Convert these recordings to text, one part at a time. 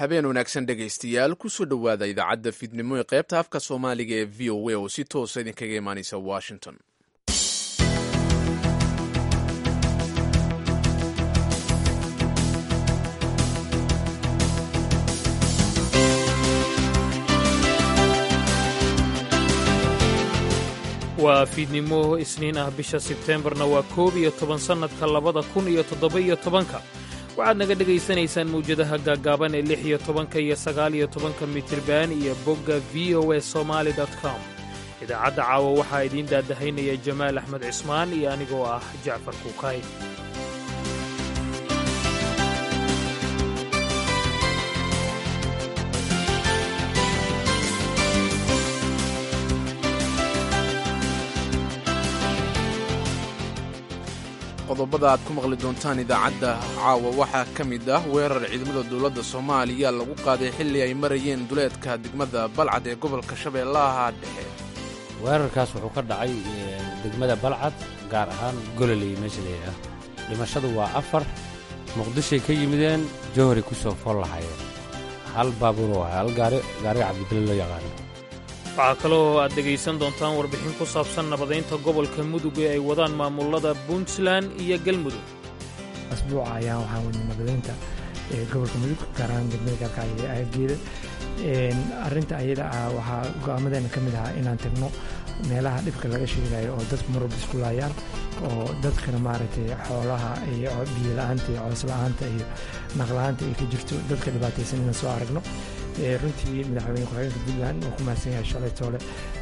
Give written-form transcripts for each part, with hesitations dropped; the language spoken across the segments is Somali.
Habeen wanaagsan, dhegaystayaal. Kusoo dhowaada idaacadda fiidnimo ee qaybta afka Soomaaliga ee VOA oo si toosa idinkaga imaanaysa Washington. Waa fiidnimo Isniin ah, bisha Sebteembarna waa 11, sannadka 2017-ka. Waxaad naga dhegaysanaysaan mawjadaha gaaggaaban ee 16-ka iyo 19-ka mitirban iyo bogga VOA Somali com. Idaacadda caawa waxaa idiin daadahaynaya Jamaal Axmed Cismaan iyo anigoo ah Jacfar Kuukay. Qodobada aad ku maqli doontaan idaacadda caawa waxaa ka mid ah weerar ciidamada dowladda Soomaaliya lagu qaaday xilli ay marayeen duleedka degmada Balcad ee gobolka Shabeellaha Dhexe. Weerarkaas wuxuu ka dhacay degmada Balcad, gaar ahaan Gololey meesha layidhaah. Dhimashadu waa 4. Muqdishoy ka yimideen, Jowharay ku soo fool lahaayeen. Hal baabuur oo hal gaari, gaariga Cabdibile loo yaqaano. Waxaa kaloo aad dhegaysan doontaan warbixin ku saabsan nabadaynta gobolka Mudug ee ay wadaan maamulada Puntland iyo Galmudug. Asbuuca ayaan waxaan wadnay nabadaynta ee gobolka Mudug, gaar ahaan degmada Gaalkacyo ee aaggeeda. Arrinta ayada ah waxaa go'aamadeena ka mid ahaa inaan tagno meelaha dhibka laga sheegayo oo dadku marwalba isku laayaan, oo dadkana maaragtay xoolaha iyo biyo la-aanta iyo coos la-aanta iyo naq la-aanta ay ka jirto, dadka dhibaataysan inaan soo aragno. Runtii madaxweyne ku-xigeenka Puntland oo ku mahadsan yahay, shalay toole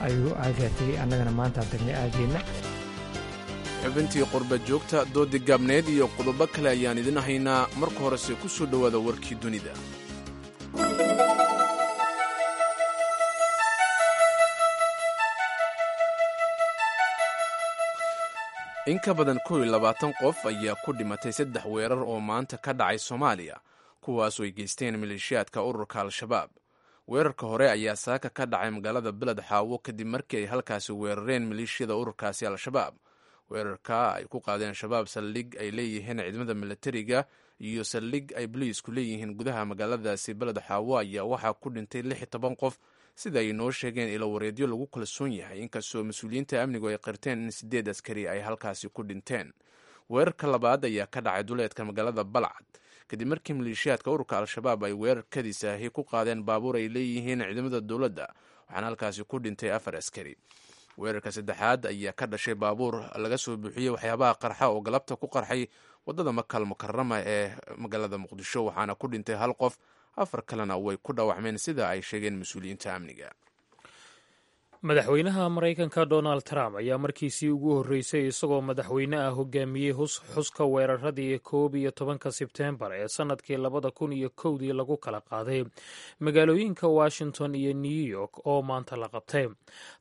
ayuu aagaa tegey, annagana maantaan tagnay aageenna. Xubintii qurba joogta, doodi gaabneed iyo qodobo kale ayaan idin haynaa. Marka horese ku soo dhowaada warkii dunida. In ka badan 21 qof ayaa ku dhimatay saddex weerar oo maanta ka dhacay Soomaaliya, kuwaasoo ay geysteen maleeshiyaadka ururka Al-Shabaab. Weerarka hore ayaa saaka ka dhacay magaalada Beled Xaawo, kadib markii ay halkaasi weerareen maleeshiyada ururkaasi Al-Shabaab. Weerarka ay ku qaadeen Shabaab saldhig ay leeyihiin ciidamada milatariga iyo saldhig ay boliisku leeyihiin gudaha magaaladaasi Beled Xaawo ayaa waxaa ku dhintay 16 qof, sida ay noo sheegeen ilo wareedyo lagu kalsoon yahay, inkastoo mas-uuliyiinta amnigu ay qirteen in sideed askari ay halkaasi ku dhinteen. Weerarka labaad ayaa ka dhacay duleedka magaalada Balcad, kadib markii maleeshiyaadka ururka Al-Shabaab ay weerar kadisaahi ku qaadeen baabuur ay leeyihiin ciidamada dowladda, waxaana halkaasi ku dhintay afar askari. Weerarka saddexaad ayaa ka dhashay baabuur laga soo buuxiyey waxyaabaha qarxa oo galabta ku qarxay waddada Makal Mukarama ee magaalada Muqdisho, waxaana ku dhintay hal qof, afar kalena way ku dhaawacmeen, sida ay sheegeen mas-uuliyiinta amniga. Madaxweynaha Maraykanka Donald Trump ayaa markiisii ugu horreysay isagoo madaxweyne ah hogaamiyey xuska weeraradii 11-ka Sebteembar ee sannadkii 2001-dii lagu kala qaaday magaalooyinka Washington iyo New York oo maanta la qabtay.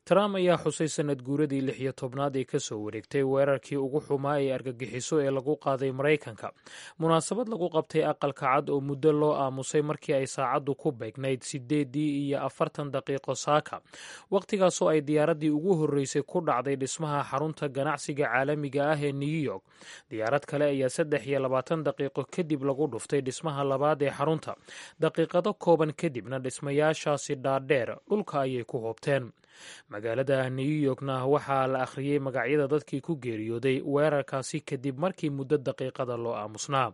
Trump ayaa xusay sannad guuradii 16aad ee kasoo wareegtay weerarkii ugu xumaa ee argagixiso ee lagu qaaday Maraykanka, munaasabad lagu qabtay Aqalka Cad oo muddo loo aamusay markii ay saacaddu ku beegnayd 8:40 saaka, waqtigaas oo ay diyaaraddii ugu horreysay ku dhacday dhismaha xarunta ganacsiga caalamiga ah ee New York. Diyaarad kale ayaa 23 daqiiqo kadib lagu dhuftay dhismaha labaad ee xarunta. Daqiiqado kooban kadibna dhismayaashaasi dhaadheer dhulka ayay ku hoobteen. Magaalada New Yorkna waxaa la akhriyey magacyada dadkii ku geeriyooday weerarkaasi kadib markii muddo daqiiqada loo aamusnaa.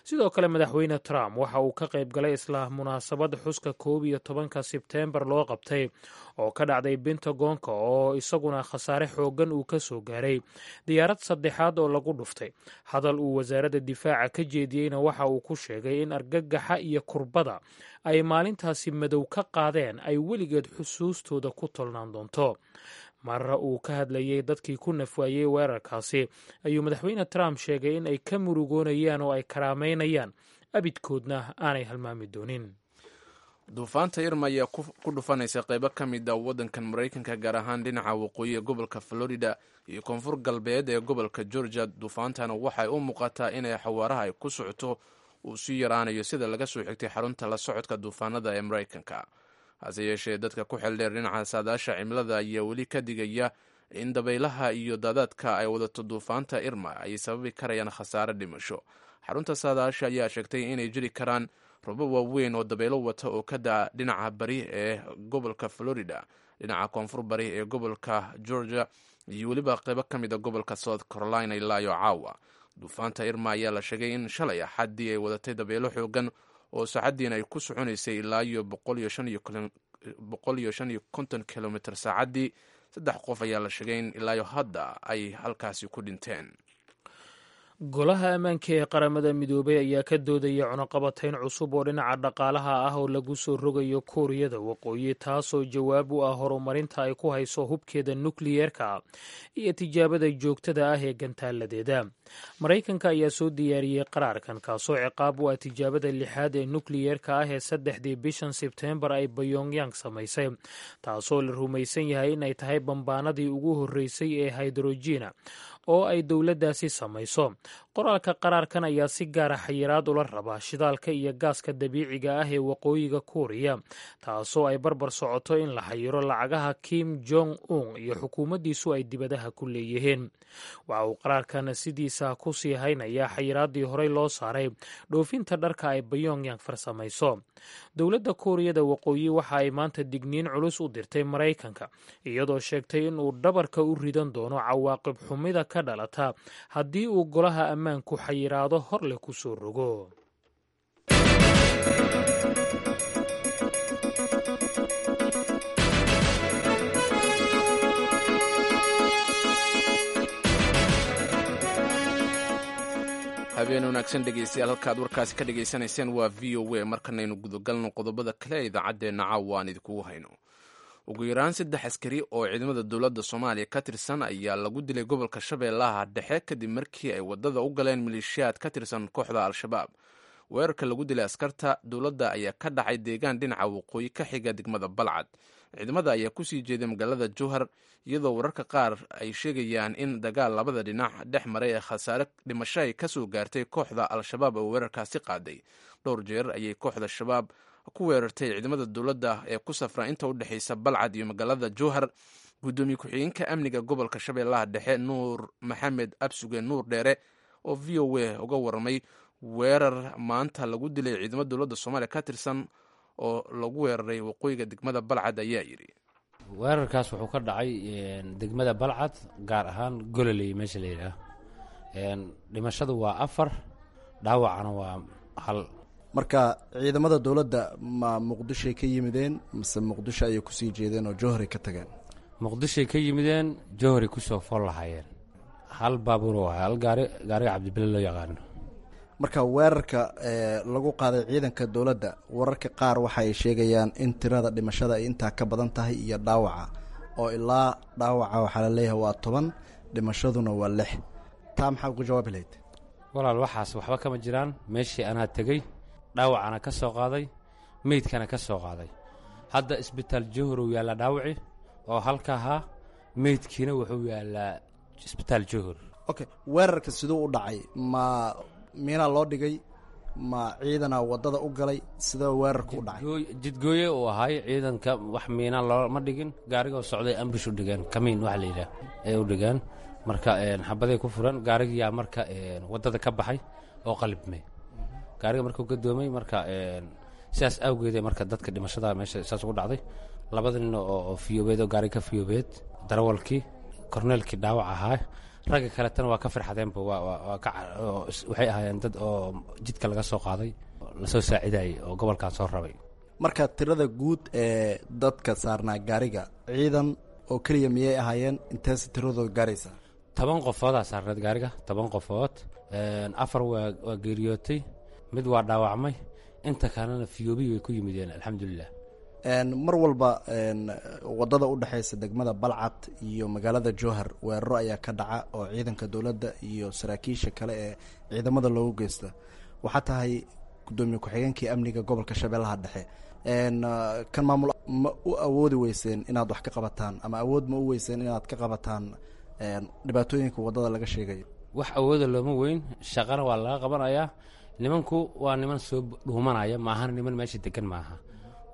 Sidoo kale madaxweyne Trump waxa uu ka qayb galay isla munaasabad xuska 11-ka Sebteembar loo qabtay oo ka dhacday Bentagonka, oo isaguna khasaare xooggan uu ka soo gaaray diyaarad saddexaad oo lagu dhuftay. Hadal uu wasaaradda difaaca ka jeediyeyna waxa uu ku sheegay in argagaxa iyo kurbada ay maalintaasi madow ka qaadeen ay weligeed xusuustooda ku tolnaan doonto. Marra uu ka hadlayey dadkii ku nafwaayey weerarkaasi ayuu madaxweyne Trump sheegay in ay ka murugoonayaan oo ay karaamaynayaan, abidkoodna aanay halmaami doonin. Duufaanta Irma ayaa ku dhufanaysa qaybo ka mid a waddankan Maraykanka, gaar ahaan dhinaca waqooyi ee gobolka Florida iyo koonfur galbeed ee gobolka Georgia. Duufaantana waxay u muuqataa inay xawaaraha ay ku socoto uu sii yaraanayo, sida laga soo xigtay xarunta la socodka duufaanada ee Maraykanka. Hase yeeshee, dadka ku xeldheer dhinaca saadaasha cimilada ayaa weli ka digaya in dabaylaha iyo daadaadka ay wadato duufaanta Irma ay sababi karayaan khasaare dhimasho. Xarunta saadaasha ayaa sheegtay inay jiri karaan Robo waaweyn oo dabeelo wata oo ka da'a dhinaca bari ee gobolka Florida, dhinaca koonfur bari ee gobolka Georgia iyo weliba qeybo ka mid a gobolka South Carolina ilaa iyo caawa. Duufaanta Irma ayaa la sheegay in shalay Axaddii ay wadatay dabeelo xoogan oo saacaddiina ay ku soconaysay ilaa iyo 155 kilomitr saacaddii. Saddex qof ayaa la sheegay in ilaa iyo hadda ay halkaasi ku dhinteen. Golaha ammaanka ee Qaramada Midoobay ayaa ka doodaya cunaqabatayn cusub oo dhinaca dhaqaalaha ah oo lagu soo rogayo Kuuriyada Waqooyi, taasoo jawaab u ah horumarinta ay ku hayso hubkeeda nukliyeerka iyo tijaabada joogtada ah ee gantaaladeeda. Maraykanka ayaa soo diyaariyey qaraarkan, kaasoo ciqaab u ah tijaabada lixaad ee nukliyeerka ah ee 3dii bishan Sebteembar ay Bayongyang samaysay, taasoo la rumaysan yahay inay tahay bambaanadii ugu horreysay ee haydrojina oo ay dowladdaasi samayso. Qoraalka qaraarkan ayaa si gaara xayiraad ula rabaa shidaalka iyo gaaska dabiiciga ah ee Waqooyiga Kuuriya, taasoo ay barbar socoto in la xayiro lacagaha Kim Jong Un iyo xukuumaddiisu ay dibadaha ku leeyihiin. Waxa uu qaraarkan sidiisa ku sii haynayaa xayiraaddii horey loo saaray dhoofinta dharka ay Bayongyang farsamayso. Dowladda Kuuriyada Waqooyi waxa ay maanta digniin culus u dirtay Maraykanka, iyadoo sheegtay inuu dhabarka u ridan doono cawaaqib xumida ka dhalata haddii uu golaha ammaanku xayiraado hor leh ku soo rogo. Habeen wanaagsan dhegeystayaal, halkaad warkaasi ka dhegaysanayseen waa VOA. Markanaynu gudagalno qodobada kale ee idaacaddeenna caawa aan idinkugu hayno. Ugu yaraan saddex askari oo ciidamada dowladda Soomaaliya ka tirsan ayaa lagu dilay gobolka Shabeellaha Dhexe kadib markii ay waddada u galeen maleeshiyaad ka tirsan kooxda Al-Shabaab. Weerarka lagu dilay askarta dowladda ayaa ka dhacay deegaan dhinaca waqooyi ka xiga degmada Balcad. Ciidamada ayaa kusii jeeday magaalada Jowhar, iyadoo wararka qaar ay sheegayaan in dagaal labada dhinac dhex maray ee khasaare dhimasho ay ka soo gaartay kooxda Al-Shabaab oo weerarkaasi qaaday. Dhowr jeer ayay kooxda Shabaab ku weerartay ciidamada dowladda ee ku safra inta u dhexaysa Balcad iyo magaalada Jowhar. Guddoomiye ku-xigeenka amniga gobolka Shabeellaha Dhexe, Nuur Maxamed Absuge Nuur Dheere, oo VOA uga warramay weerar maanta lagu dilay ciidamada dowladda Soomaaliya ka tirsan oo lagu weeraray waqooyiga degmada Balcad, ayaa yidhi: Weerarkaas wuxuu ka dhacay degmada Balcad, gaar ahaan Gololey meesha la yidhaah. Dhimashadu waa afar, dhaawacana waa hal. Marka ciidamada dowladda ma Muqdishoay ka yimideen mise Muqdisho ayay kusii jeedeen oo Jowharay ka tageen? Muqdishoay ka yimideen, Jowharay kusoo fool lahaayeen. Hal baabuur oo hal gaari, gaariga Cabdibile loo yaqaano. Marka weerarka lagu qaaday ciidanka dowladda, wararka qaar waxa ay sheegayaan in tirada dhimashada ay intaa ka badan tahay iyo dhaawaca, oo ilaa dhaawaca waxaa la leeyahay waa 10, dhimashaduna waa lix. Taa maxaa uga jawaabi lahayd? Walaal, waxaas waxba kama jiraan. Meeshii anaa tegey, dhaawacana ka soo qaaday, meydkana ka soo qaaday. Hadda isbitaal Jowhar uu yaallaa dhaawaci oo halka ahaa, meydkiina wuxuu yaallaa isbitaal Jowhar. Okay, weerarka siduu u dhacay? Ma miinaa loo dhigay, ma ciidanaa waddada u galay? Sidee weerarka u dhacay? Jidgooye uu ahaay ciidanka, wax miinaa looma dhigin. Gaarigoo socday ambush u dhigeen, kamiin waxa la yidhaah ay u dhigeen. Marka xabaday ku furan gaarigiyaa, marka waddada ka baxay oo qalibmay gaariga markuu gadoomay. Marka sidaas awgeede marka dadka dhimashada meesha saas ugu dhacday, labada nin oo fiyoobeed oo gaariga ka fiyoobeed, darawalkii, korneelkii dhaawac ahaa, ragga kaletana waa ka firxadeenba. Waxay ahaayeen dad oo jidka laga soo qaaday, lasoo saacidayay oo gobolkan soo rabay. Marka tirada guud ee dadka saarnaa gaariga ciidan oo keliya miyay ahaayeen? Inteese tiradooda gaaraysa? 10 qofoodaa saarneed gaariga, 10 qofood. Afar waa geeriyootay, mid waa dhaawacmay, inta kalena fiyoobihi way ku yimideen, alxamdulilah. Mar walba waddada u dhexaysa degmada Balcad iyo magaalada Jowhar weeraro ayaa ka dhaca oo ciidanka dowladda iyo saraakiisha kale ee ciidamada loogu geysta. Waxaa tahay guddoomiye ku-xigeenkii amniga gobolka Shabeellaha Dhexe, kan maamul ma u awoodi weyseen inaad wax ka qabataan ama awood ma u weyseen inaad ka qabataan dhibaatooyinka waddada laga sheegayo? Wax awooda looma weyn, shaqana waa laga qabanayaa. Nimanku waa niman soo dhuumanaya, maahana niman meesha degan maaha.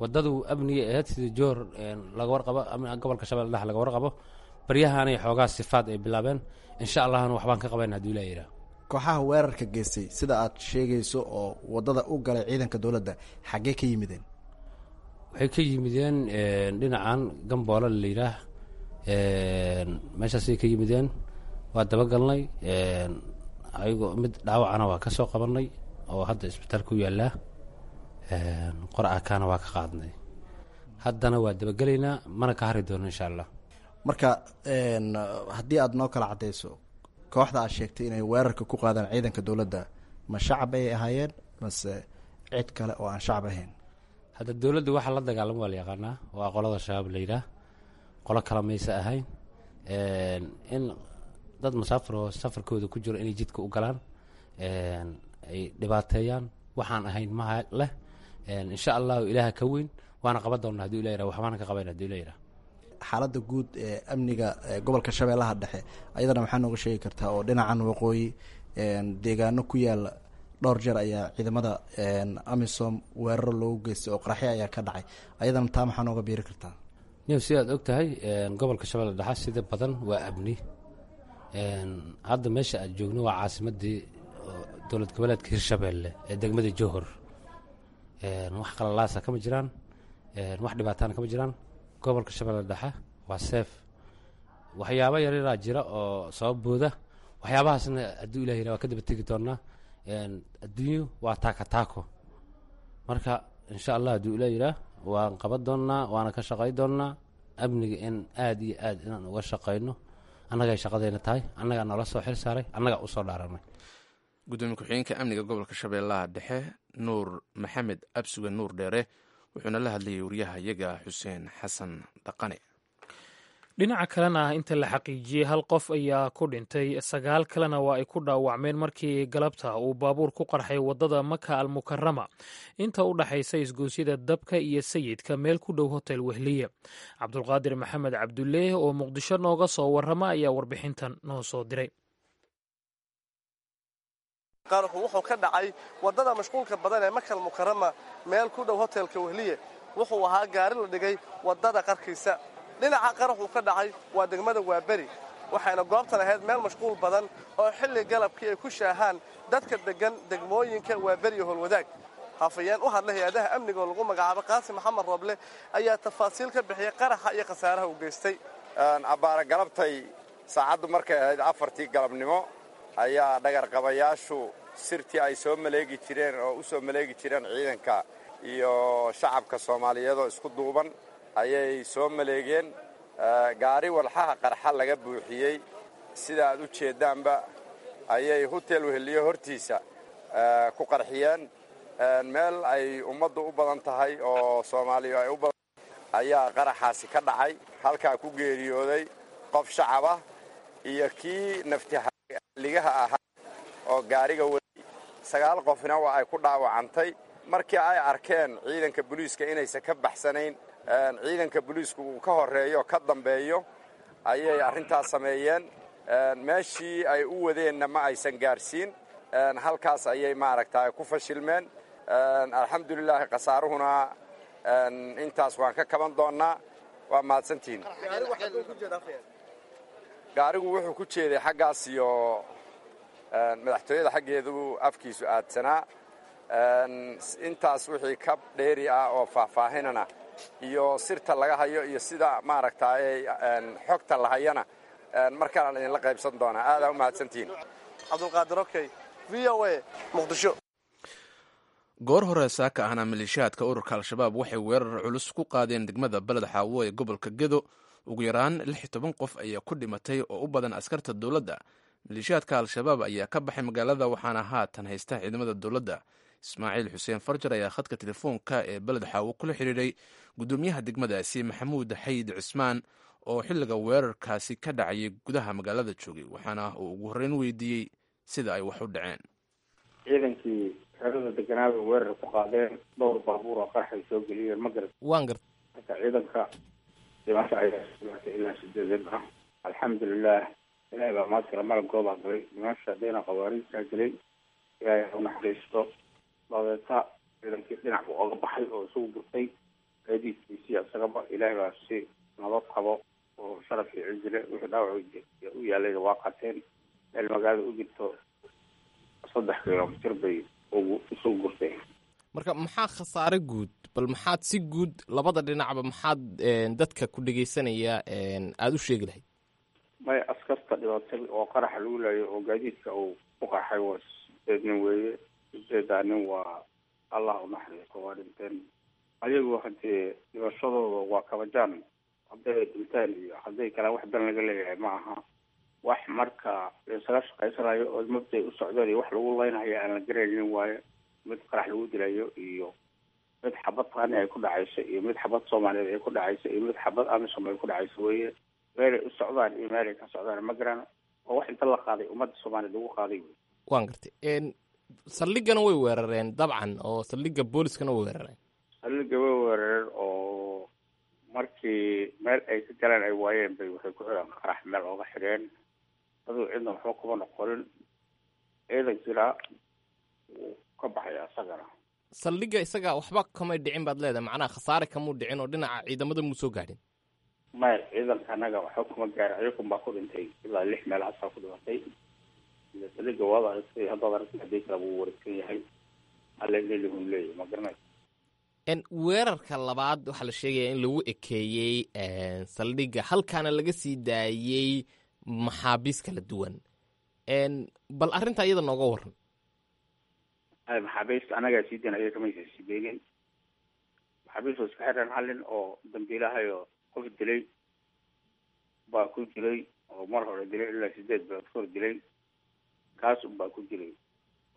Waddadu amniga ahayd sida Joor laga warqabo, gobolka Shabelle Dhexe laga warqabo. Baryahaanay xoogaa sifaad ay bilaabeen, insha allahna waxbaan ka qabayna haduu Ilah yidhaah. Kooxaha weerarka geystay sida aad sheegayso oo waddada u galay ciidanka dowladda, xaggee ka yimideen? Waxay ka yimideen dhinacan Gamboole la yidhaah, meeshaasay ka yimideen. Waa dabagalnay, ayagoo mid dhaawacana waa ka soo qabanay oo hadda isbitaalka u yaallaa, qor akaana waa ka qaadnay. Haddana waa dabagelaynaa, mana ka hari doono, insha Allah. Marka haddii aad noo kala caddayso, kooxda aad sheegtay inay weerarka ku qaadaan ciidanka dowladda, ma shacab ayay ahaayeen mase cid kale oo aan shacab ahayn? Hadda dowladda waxaa la dagaalamo waa la yaqaanaa, waa qolada Shabaab la yidhaah, qolo kala maysa ahayn. In dad masaafir oo safarkooda ku jiro inay jidka u galaan, ay dhibaateeyaan, waxaan ahayn maha leh. Insha Allahu Ilaaha ka weyn, waana qaban doonaa haduu Ilah yirah, waxbaana ka qabayna haduu Ilah yirah. Xaaladda guud ee amniga gobolka Shabeellaha Dhexe ayadana maxaa nooga sheegi kartaa, oo dhinacan waqooyi deegaano ku yaala dhowr jeer ayaa ciidamada AMISOM weeraro loogu geystay oo qaraxyo ayaa ka dhacay? Ayadana taa maxaa nooga biiri kartaa? Niw, sidaad og tahay, gobolka Shabeella Dhexe sida badan waa amni. Hadda meesha aad joogno waa caasimadii dowlad goboleedka Hirshabeelle ee degmada Johor. Wax qalalaasa kama jiraan, wax dhibaatana kama jiraan. Gobolka Shabeelle Dhexe waa safe. Waxyaabo yaryaraa jira oo soo booda, waxyaabahaasna hadduu Ilah yirah waa ka daba tegi doonaa. Adduunyu waa taaka taako. Marka insha Allah hadduu Ilah yiraah waan qaban doonaa, waana ka shaqay doonaa amniga in aad iyo aad inaan uga shaqayno. Annagay shaqadayna tahay, annagaa noola soo xil saaray, annagaa usoo dhaaranay. Gudoomiye ku-xigeenka amniga gobolka Shabeellaha Dhexe, Nuur Maxamed Absuge Nuur Dheere, wuxuuna la hadlayay wariyaha iyaga Xuseen Xasan Dhaqane. Dhinaca kalena, inta la xaqiijiyey hal qof ayaa ku dhintay, sagaal kalena waa ay ku dhaawacmeen markii galabta uu baabuur ku qarxay waddada Maka Almukarama inta u dhaxaysa isgoosyada Dabka iyo Sayidka, meel ku dhow Hotel Wehliye. Cabdulqaadir Maxamed Cabduleeh oo Muqdisho nooga soo warrama ayaa warbixintan noo soo diray. Qaraxu wuxuu ka dhacay waddada mashquulka badan ee Makal Mukarama, meel ku dhow Hotelka Wehliye. Wuxuu ahaa gaari la dhigay waddada qarkiisa. Dhinaca qaraxuu ka dhacay waa degmada Waaberi, waxayna goobtan ahayd meel mashquul badan oo xilli galabkii ay ku shaahaan dadka deggan degmooyinka Waaberi iyo Howlwadaag. Hafayeen u hadla hay-adaha amniga oo lagu magacaabo Qaasim Maxamed Rooble ayaa tafaasiil ka bixiyay qaraxa iyo khasaaraha uu geystay. Abbaara galabtay, saacaddu markay ahayd 4tii galabnimo, ayaa dhagarqabayaashu sirtii ay soo maleegi jireen oo u soo maleegi jireen ciidanka iyo shacabka Soomaaliyeed oo isku duuban ayay soo maleegeen. Gaari walxaha qarxa laga buuxiyey, sida aad u jeeddaanba, ayay Hotel Weheliyo hortiisa ku qarxiyeen. Meel ay ummaddu u badan tahay oo Soomaaliya ay u badan ayaa qaraxaasi ka dhacay. Halkaa ku geeriyooday qof shacab ah iyo kii naftiligaha ahaa oo gaariga waday, sagaal qofna waa ay ku dhaawacantay. Markii ay arkeen ciidanka booliiska inaysan ka baxsanayn, ciidanka booliisku uu ka horreeyo ka dambeeyo, ayay arrintaas sameeyeen. Meeshii ay u wadeenna ma aysan gaarsiin, halkaas ayay maaragta ku fashilmeen. Alxamdulilaahi, khasaaruhuna intaas waan ka kaban doonnaa. Waa mahadsantihiin. Gaarigu wuxuu ku jeeday xaggaas iyo madaxtooyada xaggeedu afkiisu aadsanaa. Intaas wixii ka dheeri ah oo faahfaahinana iyo sirta laga hayo iyo sida maaragtay xogta la hayana markaanaan idinla qaybsan doonaa. Aadaa u mahadsantihiin. Cabdulqaadir Okey, VOA, Muqdisho. Goor hore saaka ahna maleeshiyaadka ururka Al-Shabaab waxay weerar culus ku qaadeen degmada Baled Xaawo ee gobolka Gedo. Ugu yaraan 16 qof ayaa ku dhimatay oo u badan askarta dowladda. Maleeshiyaadka Al-Shabaab ayaa ka baxay magaalada, waxaana haatan haysta ciidamada dowladda. Ismaaciil Xuseen Farjar ayaa khadka telefoonka ee Baled Xaawo kula xiriiray gudoomiyaha degmadaasi, Maxamuud Xayid Cismaan, oo xilliga weerarkaasi ka dhacayay gudaha magaalada joogay, waxaana uu ugu horreyn weydiiyey sida ay wax u dhaceen. Ciidankii xerada deganaabay weerar ku qaadeen, dhowr baabuur oo qarxay soo geliyeen, ma garat? Waan gart. Marka ciidanka dhimasho ayaa sugnaatay ilaa sideedan ah. Alxamdulilah, Ilaahay baa maadkala malabkoobaa galay dhimasha haddayna khawaariijtaa gelay, Ilaahay ha u naxariisto. Dabeeta ciidankii dhinac buu oga baxay oo isugu gurtay gaadiidkiisii isagaba. Ilaahay baa si nabad qabo oo sharaf iyo cizile. Wixii dhaawac u yaalayna waa qateen, meel magaalada u jirto. 3 kilomitir bay ugu isu gurteen. Marka maxaa khasaare guud, bal maxaad si guud labada dhinacba maxaad dadka ku dhegeysanaya aada u sheegi lahayd? Maya, askarta dhibaatay oo qaraxa lagu laayo oo gaadiidka uu ku qarxay waa 8 nin weeye. 8 nin waa Allah u naxariisto, waa dhinteen. Ayagu haddee dhibashadooda waa kabajaan, hadday dhinteen iyo hadday kale wax dan laga leeyahay ma aha. Wax marka laisaga shaqaysanayo oo mabday u socdeen iyo wax lagu leynayo aan la garaynin waaye. Mid qarax lagu dilayo iyo mid xabad qaani ay ku dhacayso iyo mid xabad soomaaliyeed ay ku dhacayso iyo mid xabad amisom ay ku dhacayso weeye. Meelay u socdaan iyo meelay ka socdaan ma garano, oo wax inta la qaaday ummadda soomaaliyeed lagu qaaday wey. Waan gartay. Saldhiggana way weerareen dabcan, oo saldhigga booliskana way weerareen. Saldhigga way weerareen oo markii meel ay ka galeen ay waayeen bay waxay ku xireen qarax meel ooga xidheen. Aduu cidna waxba kuma noqonin, ciidankiina wuu ka baxaya isagana. Saldhigga isaga waxba kamay dhicin baad leedahay, macnaha khasaare kamuu dhicin oo dhinaca ciidamada muu soo gaadhin? Maya, ciidanka annaga waxba kuma gaarin, ayakun baa ku dhintay ilaa 6 meel hasaa ku dhimatay. Saldhigga waad aragtay, haddaad aragtay haddii kale wuu wareegsan yahay, alelihun leeyahy ma garanayso. Weerarka labaad waxaa la sheegayaa in lagu ekeeyey saldhigga, halkaana laga sii daayey maxaabiis kala duwan. Bal arrinta iyada nooga waran. Maxaabiista annagaa sii dayn, ayaga kamaysa sii daynin. Maxaabiista iska xireen hal nin oo dambiilahayo qof dilay baa ku jiray, oo mar hore dilay ilaa 8 bilood kahor dilay, kaas unbaa ku jiray.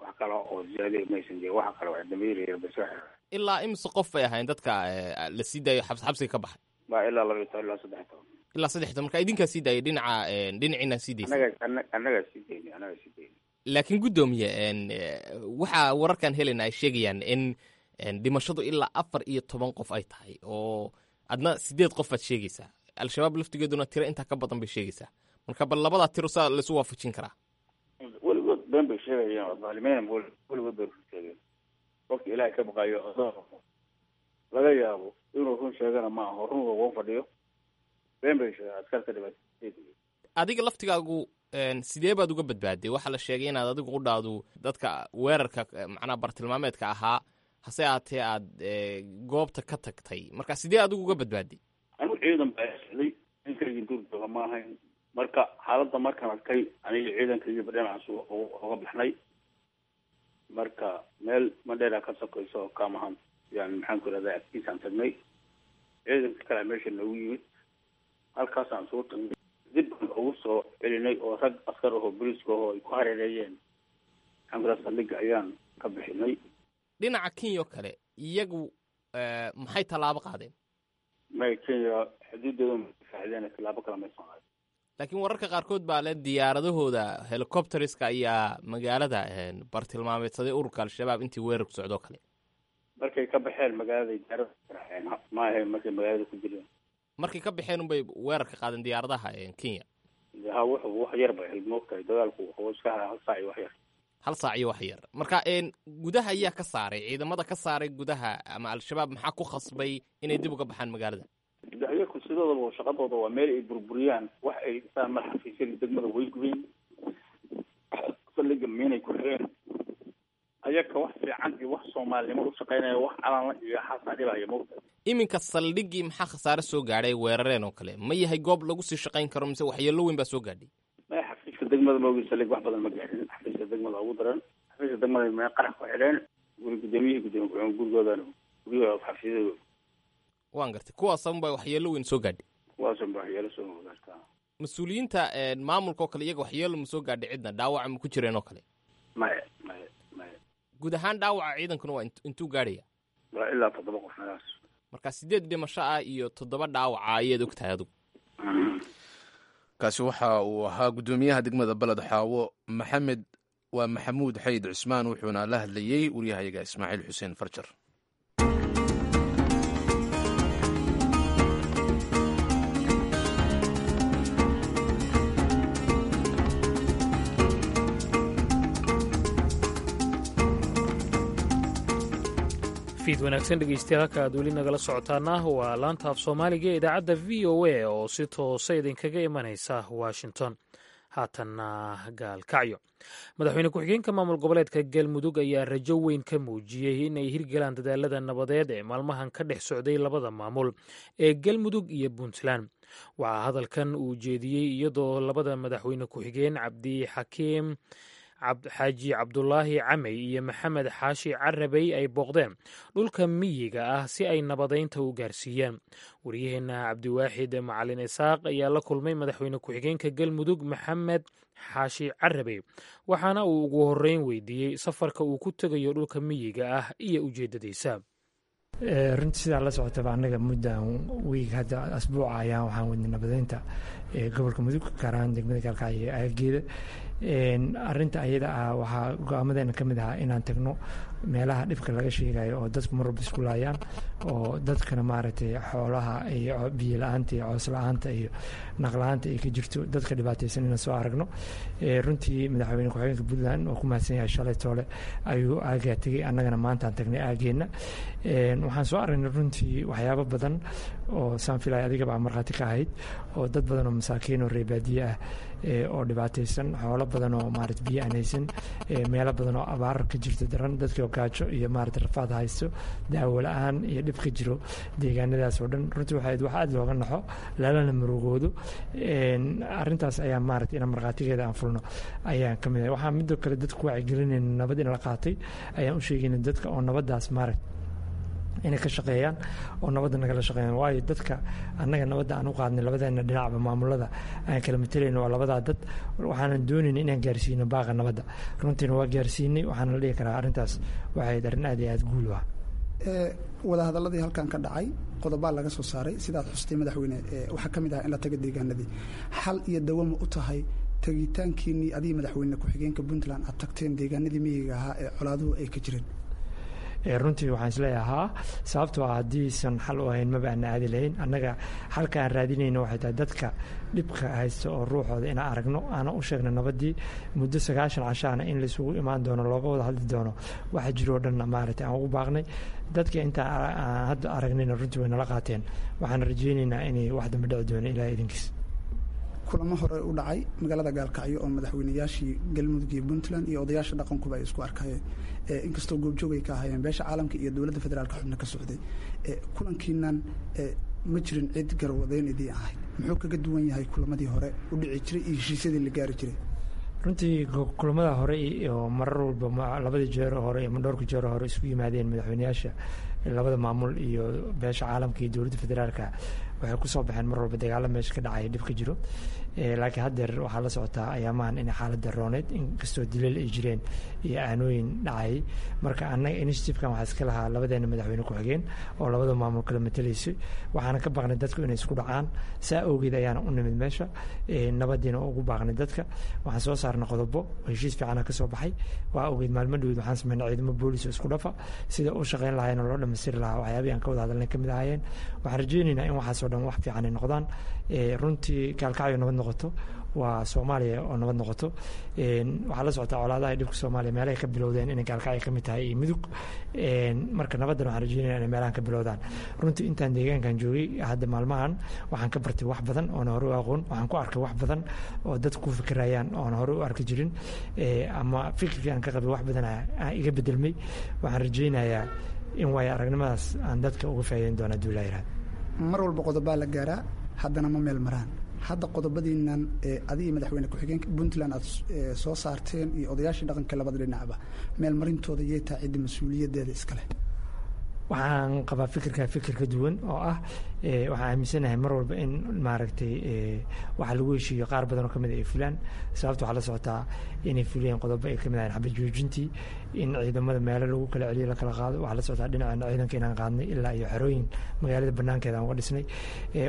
Wax kale oo ziyaada maysan jirin, waxa kale wax dambiilayar bay soo xireen. Ilaa imise qof bay ahayn dadka la sii daayo xabsiga ka baxay? Waa ilaa 12 ilaa 13. Ilaa 13. Marka idinkaa sii daayay dhinaca dhinaciina sii daysay? Annagaa sii daynay, annagaa sii daynay. Laakiin guddoomiye, waxaa wararkan helayna ay sheegayaan in dhimashadu ilaa 14 qof ay tahay, oo adna 8 qof baad sheegaysaa. Al-shabaab laftigeeduna tiro intaa ka badan bay sheegaysaa. Marka bal labadaa tiro saa laisu waafajin karaa? Weligood been bay sheegayaan, oo dhaalimiin weligood bay run sheegeen. Qofka ilaahay ka baqayo laga yaabo inuu run sheegana ma aho, run ugu fadhiyo been bay sheegeen askarta dhibaatay. Adiga laftigaagu sidee baad uga badbaaday? Waxaa la sheegay inaad adigu u dhaadu dadka weerarka macnaha bartilmaameedka ahaa, hase aatee aad goobta ka tagtay. Marka sidee adigu uga badbaaday? Anigu ciidan baa socday, ninkaygii duur jooga ma ahayn. Marka xaaladda markaan arkay aniga ciidankaygiiba dhinacaas uga baxnay. Marka meel mandheera ka sokayso oo kaamahan yani maxaan ku irahdaa agtiisaan tagnay. Ciidanka kalea meesha noogu yimid, halkaasaan isugu tagnay, dib baan ugu soo celinay oo rag askar ahoo booliiska ahoo ay ku hareereeyeen maxaan ku irahdaa saldhigga ayaan ka bixinay. Dhinaca Kenya oo kale iyagu maxay tallaabo qaadeen? May, Kenya xuduuddooda faaxideen, tallaabo kale may soo qaadeen. Laakiin wararka qaarkood baa le diyaaradahooda helicopteriska ayaa magaalada bartilmaameedsaday ururka Al-shabaab intii weerarku socdoo kale. Markay ka baxeen magaalada diyaarada raaceen, ma ahayn markay magaalada ku jireen. Markay ka baxeen unbay weerarka qaadeen diyaaradaha Kenya. Ha, wuxuu wax yar bay ahayd moogtahay, dagaalku wuxuu iska haraa 1 saac iyo wax yar. 1 saac iyo wax yar. Marka gudaha ayaa ka saaray ciidamada ka saaray gudaha ama Al-shabaab maxaa ku khasbay inay dib uga baxaan magaalada? Ayaku sidoodaba shaqadooda waa meel ay burburiyaan, wax ay dhisaan mar xafiisyada degmada way gubeen, saldhigga miinay ku xireen. Ayaka wax fiican iyo wax soomaalinimo u shaqeynaya, wax calanla iyo xaasaa dhibaya moogta. Iminka saldhiggii maxaa khasaare soo gaadhay weerareen oo kale? Ma yahay goob lagu sii shaqayn karo mise waxyeello weyn baa soo gaadhay? Maya, xafiiska degmada maogi saldhig wax badan ma gaadhin. Xafiiska degmada ugu daran, xafiiska degmada mee qarax ku xidheen guri gudoomiyihii gudoomiye ku-xigeen gurigoodana guryahooda xafiisyadooda. Waan gartay, kuwaas unbaa waxyeello weyn soo gaadhay. Kuwaas unbaa waxyeello soo gaartaa. Mas-uuliyiinta maamulka oo kale iyaga waxyeello ma soo gaadhay cidna? Dhaawaca ma ku jireen oo kale? Maya, maya, maya. Guud ahaan dhaawaca ciidankuna waa intuu gaadhaya? Waa ilaa 7 qof meelahaas. Marka 8 dhimasho ah iyo 7 dhaawaca ayaad og tahay adigu. Kaasi waxa uu ahaa guddoomiyaha degmada Baled Xaawo Maxamed waa Maxamuud Xayd Cusmaan, wuxuuna la hadlayey wariyahayaga Ismaaciil Xuseen Farjar. Fiid wanaagsan dhegeystayaal, halka aad weli nagala socotaana waa laanta af soomaaliga ee idaacadda v o a oo si toosa idinkaga imanaysa Washington. Haatanna Gaalkacyo, madaxweyne ku-xigeenka maamul goboleedka Galmudug ayaa rajo weyn ka muujiyey in ay hirgalaan dadaalada nabadeed ee maalmahan ka dhex socday labada maamul ee Galmudug iyo Puntland. Waxaa hadalkan uu jeediyey iyadoo labada madaxweyne ku-xigeen, Cabdixakiim Xaaji Cabdulaahi Camey iyo Maxamed Xaashi Carabey, ay booqdeen dhulka miyiga ah si ay nabadeynta u gaarsiiyaan. Waryaheena Cabdiwaaxid Macalin Isaaq ayaa la kulmay madaxweyne ku-xigeenka Galmudug Maxamed Xaashi Carabey, waxaana uu ugu horreyn weydiiyey safarka uu ku tegayo dhulka miyiga ah iyo ujeeddadiisa. Runtii sidaa la socotaba, annaga muddan wiig hadda asbuuca ayaan waxaan wadnay nabadeynta gobolka Mudug, gaar ahaan degmada Gaalkacyo iyo aaggeeda. Arrinta ayada ah waxaa go-aamadeena ka mid ahaa inaan tagno meelaha dhibka laga sheegayo oo dadku mar walba isku laayaan, oo dadkana maaragtay xoolaha iyo biyo la-aanta iyo coos la-aanta iyo naq la-aanta ay ka jirto, dadka dhibaataysan inaan soo aragno. Runtii madaxweyne ku-xigeenka Puntland oo ku mahadsan yahay, shalay toole ayuu aagaa tegey, annagana maantaan tagnay aageenna. Waxaan soo aragnay runtii waxyaabo badan oo saan filaya adigaba markhaati ka ahayd, oo dad badan oo masaakiin oo reebaadiye ah oo dhibaataysan, xoolo badan oo maarata biyo aan haysan, meelo badan oo abaar ka jirto daran, dadkii oo gaajo iyo maarata rafaad haysto, daawo la-aan iyo dhib ka jiro deegaanadaas oo dhan. Runtii waxay wax aada looga naxo lalana murugoodo. Arrintaas ayaa maarata inaan markhaatigeeda aan fulno ayaan ka mid ahay. Waxaan midoo kale dadku wacyigelinayna nabad in la qaatay ayaan u sheegayna dadka, oo nabaddaas maarata inay ka shaqeeyaan oo nabadda nagala shaqeeyaan, waayo dadka annaga nabadda aan u qaadnay labadeena dhinacba maamulada aan kala matelayno waa labadaa dad. Waxaanan doonayna inaan gaarsiino baaqa nabadda, runtiina waa gaarsiinay. Waxaana la dhihi karaa arrintaas waxay arrin aad iyo aad guul u ah. Wadahadalladii halkan ka dhacay qodobaa laga soo saaray sidaad xustay, madaxweyne. Waxaa ka mid ah in la taga deegaanadii. Xal iyo dawama u tahay tegitaankiinii adigii madaxweyne ku-xigeenka Puntland aad tagteen deegaanadii miyiga ahaa ee colaaduhu ay ka jireen? Runtii waxaan isleeyahay haa, sababtoo ah haddiisan xal u ahayn maba aana aadi lahayn. Annaga xalka aan raadinayno waxay tahay dadka dhibka haysta oo ruuxooda inaan aragno, aana u sheegno nabaddii muddo 90 cashaana in laisugu imaan doono, looga wada hadli doono waxa jiroo dhanna maaragtay aan ugu baaqnay dadka. Intaan aan hadda aragnayna runtii way nala qaateen. Waxaan rajaynaynaa inay wax dambe dhici doono, Ilaah idinkiis. Kulamo hore u dhacay magaalada Gaalkacyo oo madaxweynayaashii Galmudug iyo Puntland iyo odayaasha dhaqankuba ay isku arkayeen, inkastoo goobjoog ay ka ahaayeen beesha caalamka iyo dowladda federaalka xubno ka socday, kulankiinan ma jirin cid garwadeyn idiin ahayd. Muxuu kaga duwan yahay kulamadii hore u dhici jiray iyo heshiisyadii la gaari jiray? Runtii kulamada hore oo marar walba labadii jeer hore ama dhowrka jeer hore isku yimaadeen madaxweynayaasha labada maamul iyo beesha caalamka iyo dowladda federaalka, waxay kusoo baxeen mar walba dagaalo meesha ka dhacaya, dhib ka jiro. Laakiin haddeer waxaa la socotaa ayaamahan inay xaaladda rooneyd, inkastoo dilal ay jireen iyo aanooyin dhacayay. Marka annaga initiativekan waxaa iska lahaa labadeena madaxweyne ku-xigeen oo labada maamul kala matalaysay. Waxaana ka baaqnay dadku inay isku dhacaan, saa awgeed ayaana u nimid meesha, nabadiina ugu baaqnay dadka. Waxaan soo saarnay qodobo, heshiis fiicana ka soo baxay. Waa awgeed maalmo dhaweyd waxaan sameynay ciidamo boolis oo isku dhafa, sida u shaqeyn lahaayeen oo loo dhammaystiri lahaa waxyaabihii aan ka wada hadalnay ka mid ahaayeen. Waxaan rajaynaynaa in waxaasoo dhan wax fiican ay noqdaan. Runtii Gaalkacyo nabad noqoto waa Soomaaliya oo nabad noqoto. Waxaa la socotaa colaadaha dhibka Soomaaliya meelahay ka bilowdeen inay Gaalkacyo ka mid tahay iyo Mudug. Marka nabaddan waxaan rajeynaya inay meelahan ka bilowdaan. Runtii intaan deegaankan joogay hadda maalmahan waxaan ka bartay wax badan oona hore u aqoon. Waxaan ku arkay wax badan oo dadku ku fikirayaan oona hore u arki jirin, ama fikirkii aan ka qabay wax badan aan iga bedelmay. Waxaan rajeynayaa in waayo aragnimadaas aan dadka uga faa'iideyn doona hadduu Ilaa yiraahdo. Mar walba qodobaa la gaaraa, haddana ma meel maraan. Hadda qodobadiinan adigii madaxweyne ku-xigeenka Puntland aad soo saarteen iyo odayaashii dhaqanka labada dhinacba, meel marintooda yay tahay cidda mas-uuliyaddeeda iskale? Waxaan qabaa fikirka fikir ka duwan oo ah waxaan aaminsanahay mar walba in maaragtay waxa lagu heshiiyo qaar badan oo kamid ay fulaan. Sababta waxaa la socotaa inay fuliyeen qodobo ay kamid ahayn xabad joojintii, in ciidamada meelo lagu kala celiyo, la kala qaado. Waxaa la socotaa dhinaceena ciidanka inaan qaadnay ilaa iyo xerooyin magaalada banaankeeda aan uga dhisnay.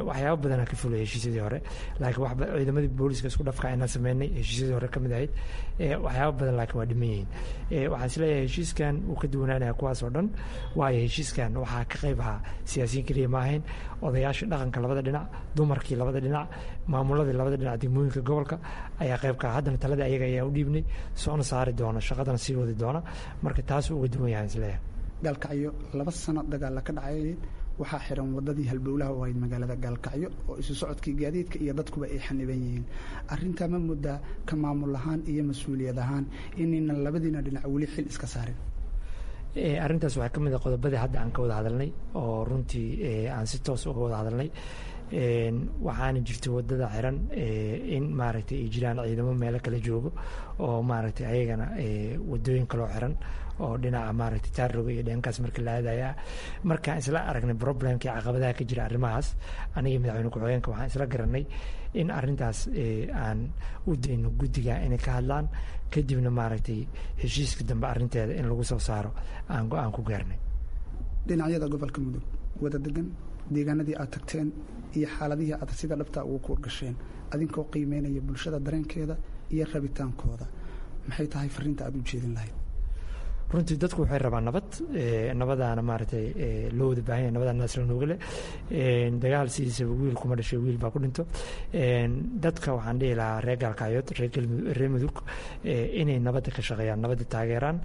Waxyaabo badanaa ka fulay heshiisyadii hore, laakiin wax ciidamadii booliska isku dhafka inaan sameynay heshiisyadii hore kamid ahayd. Waxyaabo badan laakiin waa dhiman yihiin. Waxaan isleeyahay heshiiskan wuu ka duwanaanaya kuwaas oo dhan, waayo heshiiskan waxaa ka qayb ahaa siyaasiyiin keliya ma ahayn, odayaasha dhaqanka labada dhinac, dumarkii labada dhinac, maamuladii labada dhinac, degmooyinka gobolka ayaa qayb ka ah. Haddana talada ayaga ayaa u dhiibnay, soona saari doona, shaqadana sii wadi doona. Marka taasuu uga duwan yahay isleeyahay. Gaalkacyo 2 sano dagaalla ka dhacay. Waxaa xiran wadadii halbowlaha u ahayd magaalada Gaalkacyo oo isu socodkii gaadiidka iyo dadkuba ay xaniban yihiin. Arrintaa ma muddaa ka maamul ahaan iyo mas-uuliyad ahaan inaynan labadiina dhinac weli xil iska saarin? Arrintaas waxaa ka mid a qodobadii hadda aan ka wada hadalnay oo runtii aan si toos uga wada hadalnay. Waxaana jirta wadada xiran in maaragtay ay jiraan ciidamo meelo kala joogo oo maaragtay ayagana wadooyin kaloo xiran oo dhinaca maaragtay Taarroga iyo dhankaas marka la aadaya. Markaan isla aragnay problemkii caqabadaha ka jira arrimahaas, aniga madaxweyne ku-xigeenka waxaan isla garanay in arrintaas aan u dayno guddiga inay ka hadlaan, kadibna maaragtay heshiiska dambe arrinteeda in lagu soo saaro aan go-aan ku gaarnay. Dhinacyada gobolka Mudug wada degan, deegaanadii aad tagteen iyo xaaladihii aad sida dhabtaa ugu kuurgasheen, adinkoo qiimeynaya bulshada dareenkeeda iyo rabitaankooda, maxay tahay fariinta aad u jeedin lahayd? Runtii dadku waxay rabaan nabad. Nabadaana maaragtay loo wada baahan yahay, nabadaan naasla noogale. Dagaal sidiisaba wiil kuma dhashay, wiil baa ku dhinto. Dadka waxaan dhihi lahaa reer Gaalkacyood, reer Galmudug, reer Mudug, inay nabadda ka shaqeeyaan, nabadda taageeraan.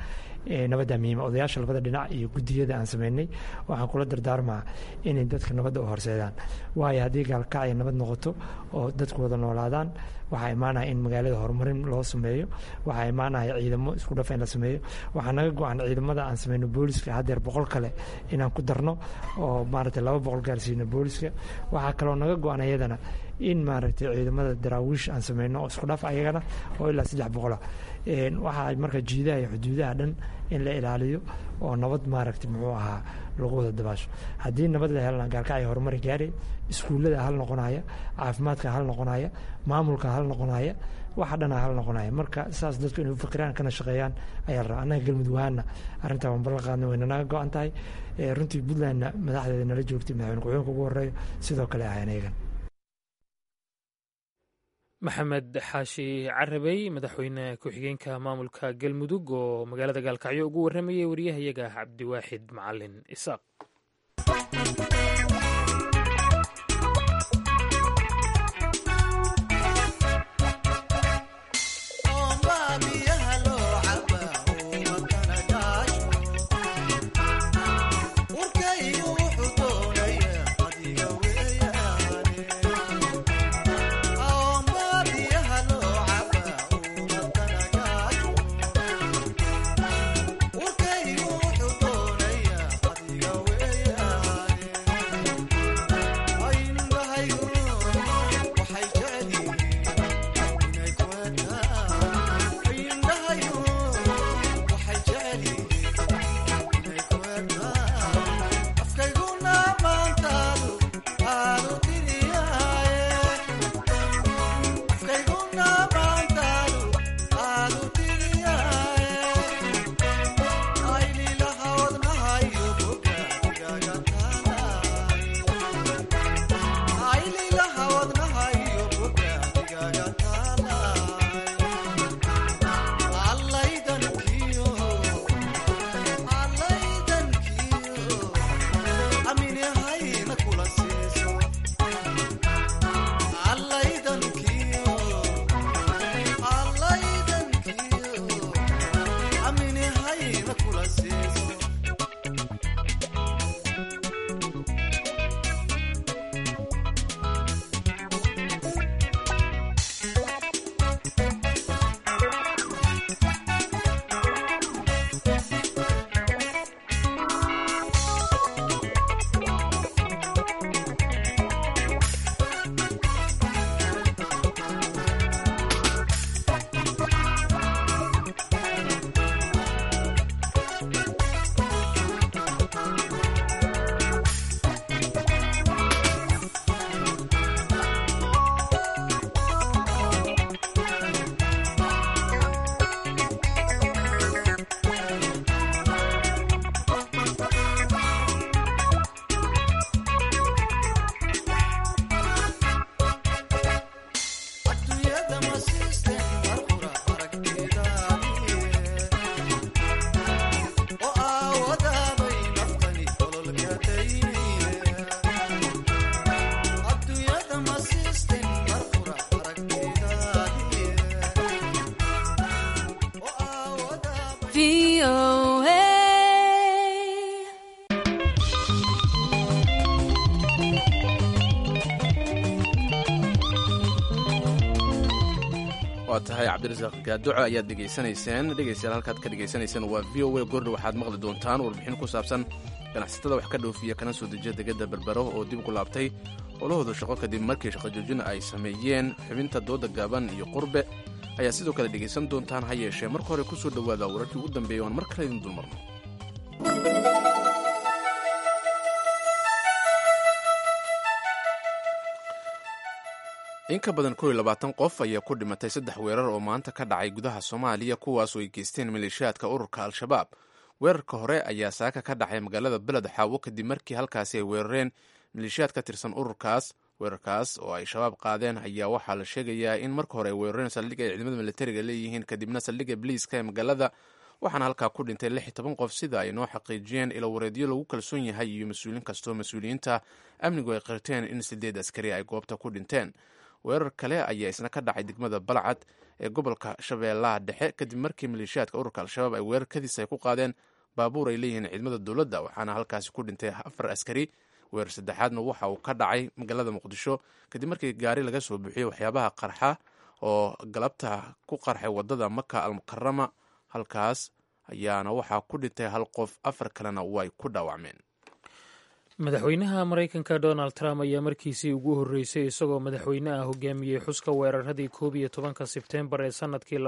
Nabadda muhiima. Odayaasha labada dhinac iyo guddiyada aan sameynay waxaan kula dardaarmaa inay dadka nabadda u horseedaan, waayo haddii Gaalkacyo nabad noqoto oo dadku wada noolaadaan, waxaa imaanaya in magaalada horumarin loo sameeyo, waxaa imaanaya ciidamo isku dhafa in la sameeyo. Waxaa naga go-an ciidamada aan sameyno booliska haddeer 100 kale inaan ku darno oo maaragtay 200 gaarsiino booliska. Waxaa kaloo naga go-an iyadana in maaragtay ciidamada daraawiish aan sameyno oo isku dhaf ayagana oo ilaa 300 ah. Waxaa marka jiidaha iyo xuduudaha dhan in la ilaaliyo oo nabad maaragtay muxuu ahaa lagu wada dabaasho. Haddii nabad la helana, Gaalkacyo horumari gaaray, iskuullada hal noqonaya, caafimaadka hal noqonaya, maamulka hal noqonaya, waxa dhana hal noqonaya. Marka saas dadku inay u fikiraan kana shaqeeyaan ayaa la rabaa. Annaga Galmudug ahaana arrintaa waan ballan qaadnay, wayna naga go-an tahay. Runtii Puntlandna madaxdeeda nala joogtay, madaxweyne ku-xigeenka ugu horeeyo, sidoo kale ahayn ayagan. Maxamed Xaashi Carabey, madaxweyne ku-xigeenka maamulka Galmudug oo magaalada Gaalkacyo ugu warramayay wariyahayaga Cabdiwaaxid Macalin Isaaq. VOA. Waa tahay, Cabdirasaaq Gaadoco ayaad dhegaysanayseen. Dhegaystayaal, halkaad ka dhegaysanayseen waa VOA. Goordha waxaad maqli doontaan warbixin ku saabsan ganacsatada wax ka dhoofiya kana soo dejiya degada Berbero oo dib ugu laabtay howlahooda shaqo kadib markii shaqo joojin ay sameeyeen. Xubinta dooda gaaban iyo qurbe ayaa sidoo kale dhegaysan doontaan. Ha yeeshee, marka hore ku soo dhowaada wararkii ugu dambeeyay oan mar kale idin dulmarno. In ka badan 21 qof ayaa ku dhimatay saddex weerar oo maanta ka dhacay gudaha Soomaaliya, kuwaas oo ay geysteen maleeshiyaadka ururka Al-Shabaab. Weerarka hore ayaa saaka ka dhacay magaalada Beled Xaawo kadib markii halkaasi ay weerareen maleeshiyaad ka tirsan ururkaas. Weerarkaas oo ay Shabaab qaadeen ayaa waxaa la sheegayaa in marka hore ay weerareen saldhig ay ciidamada militariga leeyihiin, kadibna saldhigga biliiska ee magaalada, waxaana halkaa ku dhintay 16 qof, sida ay noo xaqiijiyeen ilo wareedyo lagu kalsoon yahay iyo mas-uuliin kastoo mas-uuliyiinta amnigu ay qirteen in sideed askari ay goobta ku dhinteen. Weerar kale ayaa isna ka dhacay degmada Balcad ee gobolka Shabeellaha Dhexe kadib markii maleeshiyaadka ururka Al-Shabaab ay weerarkadiis ay ku qaadeen baabuur ay leeyihiin ciidamada dowladda, waxaana halkaasi ku dhintay afar askari. Weerar saddexaadna waxa uu ka dhacay magaalada Muqdisho kadib markii gaari laga soo buuxiyey waxyaabaha qarxa oo galabta ku qarxay wadada Maka Almukarama. Halkaas ayaana waxaa ku dhintay hal qof, afar kalena way ku dhaawacmeen. Madaxweynaha Maraykanka Donald Trump ayaa markiisii ugu horreysay isagoo madaxweyne ah hogaamiyey xuska weeraradii 11-ka Sebteembar ee sannadkii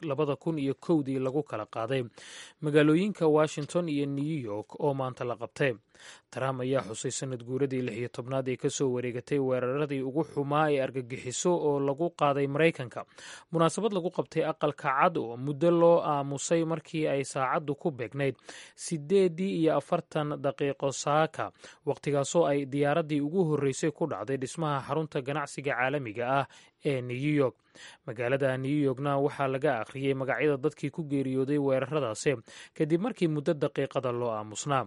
2001-dii lagu kala qaaday magaalooyinka Washington iyo New York oo maanta la qabtay. Trump ayaa xusay sanad guuradii 16aad ee kasoo wareegatay weeraradii ugu xumaa ee argagixiso oo lagu qaaday Maraykanka, munaasabad lagu qabtay Aqalka Cad oo muddo loo aamusay markii ay saacaddu ku beegnayd 8:40 saaka, waqtigaasoo ay diyaaraddii ugu horreysay ku dhacday dhismaha xarunta ganacsiga caalamiga ah ee New York. Magaalada New Yorkna waxaa laga akhriyey magacyada dadkii ku geeriyooday weeraradaasi kadib markii muddo daqiiqada loo aamusnaa.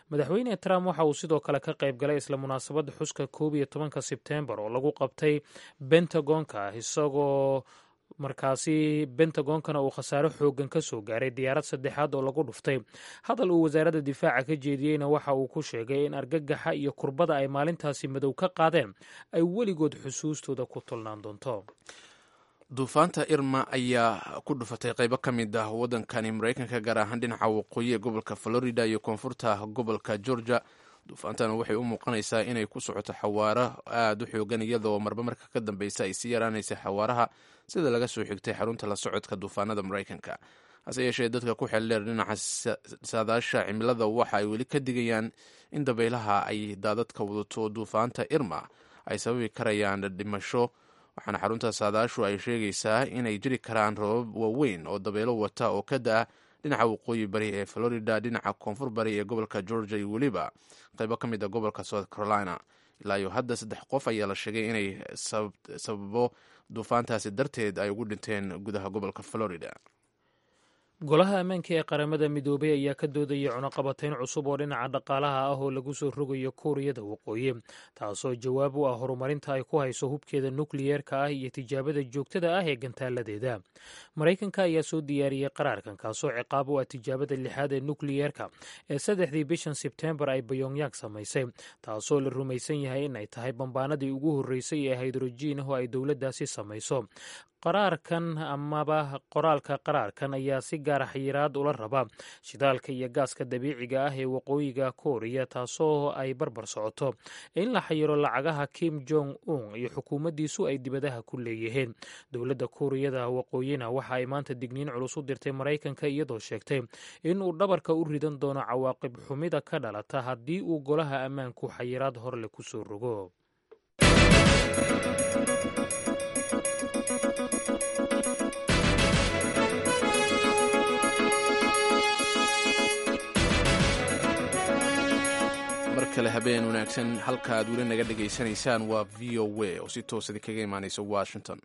Madaxweyne Trump waxa uu sidoo kale ka qayb galay isla munaasabadda xuska 11-ka Sebteembar oo lagu qabtay Bentagonka, isagoo markaasi Bentagonkana uu khasaare xoogan ka soo gaaray diyaarad saddexaad oo lagu dhuftay. Hadal uu wasaaradda difaaca ka jeediyeyna waxa uu ku sheegay in argagaxa iyo kurbada ay maalintaasi madow ka qaadeen ay weligood xusuustooda ku tolnaan doonto. Duufaanta Irma ayaa ku dhufatay qaybo ka mid ah waddankani Maraykanka, gaar ahaan dhinaca waqooyi ee gobolka Florida iyo koonfurta gobolka Georgia. Duufaantan waxay u muuqanaysaa inay ku socoto xawaaro aada u xoogan, iyadoo marba marka ka dambeysa ay sii yaraanaysa xawaaraha, sida laga soo xigtay xarunta la socodka duufaanada Maraykanka. Hase yeeshee, dadka ku xeeldheer dhinaca saadaasha cimilada waxa ay weli ka digayaan in dabaylaha ay daadadka wadato duufaanta Irma ay sababi karayaan dhimasho, waxaana xarunta saadaashu ay sheegaysaa inay jiri karaan roobab waaweyn oo dabaylo wata oo ka da-a dhinaca waqooyi bari ee Florida, dhinaca koonfur bari ee gobolka Georgia iyo weliba qaybo ka mid a gobolka South Carolina. Ilaa iyo hadda saddex qof ayaa la sheegay inay sababo duufaantaasi darteed ay ugu dhinteen gudaha gobolka Florida. Golaha Ammaanka ee Qaramada Midoobay ayaa ka doodaya cunaqabatayn cusub oo dhinaca dhaqaalaha ah oo lagu soo rogayo Kuuriyada Waqooyi, taasoo jawaab u ah horumarinta ay ku hayso hubkeeda nukliyeerka ah iyo tijaabada joogtada ah ee gantaaladeeda. Maraykanka ayaa soo diyaariyey qaraarkan, kaasoo ciqaab u ah tijaabada lixaad ee nukliyeerka ee saddexdii bishan Sebteembar ay Bayongyang samaysay, taasoo la rumaysan yahay in ay tahay bambaanadii ugu horreysay ee haydrojiin oo ay dowladdaasi samayso. Qaraarkan amaba qoraalka qaraarkan ayaa si gaara xayiraad ula raba shidaalka iyo gaaska dabiiciga ah ee waqooyiga Kooriya, taasoo ay barbar socoto in la xayiro lacagaha Kim Jong Un iyo xukuumaddiisu ay dibadaha ku leeyihiin. Dowladda Kuuriyada Waqooyina waxa ay maanta digniin culus u dirtay Maraykanka, iyadoo sheegtay in uu dhabarka u ridan doono cawaaqib xumida ka dhalata haddii uu golaha ammaanku xayiraad horleh kusoo rogo. Markale habeen wanaagsan. Halka aad weli naga dhegaysanaysaan waa VOA oo si toos idinkaga imaanaysa Washington.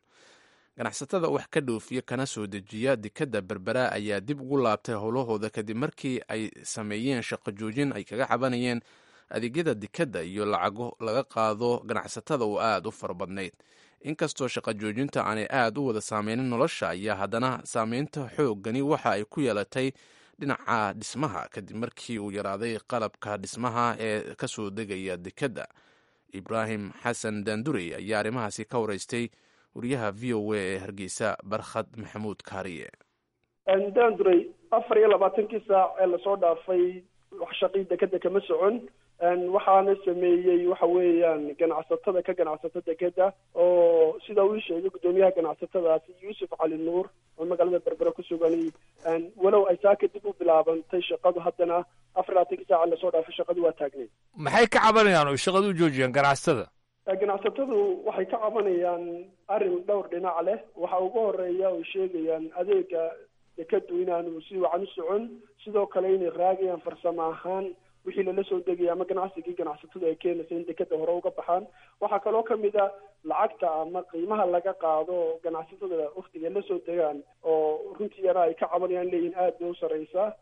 Ganacsatada wax ka dhoofiya kana soo dejiya dekadda Berbera ayaa dib ugu laabtay howlahooda kadib markii ay sameeyeen shaqo joojin ay kaga cabanayeen adeegyada dekadda iyo lacago laga qaado ganacsatada oo aada u fara badnayd. Inkastoo shaqo joojinta aanay aada u wada saameynin nolosha, ayaa haddana saameynta xooggani waxa ay ku yeelatay dhinaca dhismaha kadib markii uu yaraaday qalabka dhismaha ee kasoo degaya dekadda. Ibraahim Xasan Daandurey ayaa arrimahaasi ka wareystay Wariyaha VOA ee Hargeysa, Barkhad Maxamuud Kaariye. Daanduray, 24-kii saac ee lasoo dhaafay wax shaqii dekeda kama socon. Waxaana sameeyey waxa weeyaan ganacsatada ka ganacsata dekeda, oo sida uu sheegay guddoomiyaha ganacsatadaasi Yuusuf Cali Nuur oo magaalada Berbera ku sugan, walow ay saa kadib u bilaabantay shaqadu, haddana 24-kii saaca lasoo dhaafay shaqadu waa taagneyd. Maxay ka cabanayaan oo shaqada u joojiyaan ganacsatada? Ganacsatadu waxay ka cabanayaan arrin dhowr dhinac leh. Waxa ugu horeeya oy sheegayaan adeega dekadu inaanu si wacan u socon, sidoo kale inay raagayaan farsamo ahaan wixii lala soo degaya ama ganacsigii ganacsatadu ay keenaysa in dekeda hore uga baxaan. Waxaa kaloo kamid a lacagta ama qiimaha laga qaado ganacsatada waktiga la soo degaan, oo runtii yana ay ka cabanayaan, leeyihin aad bay u sarreysaa.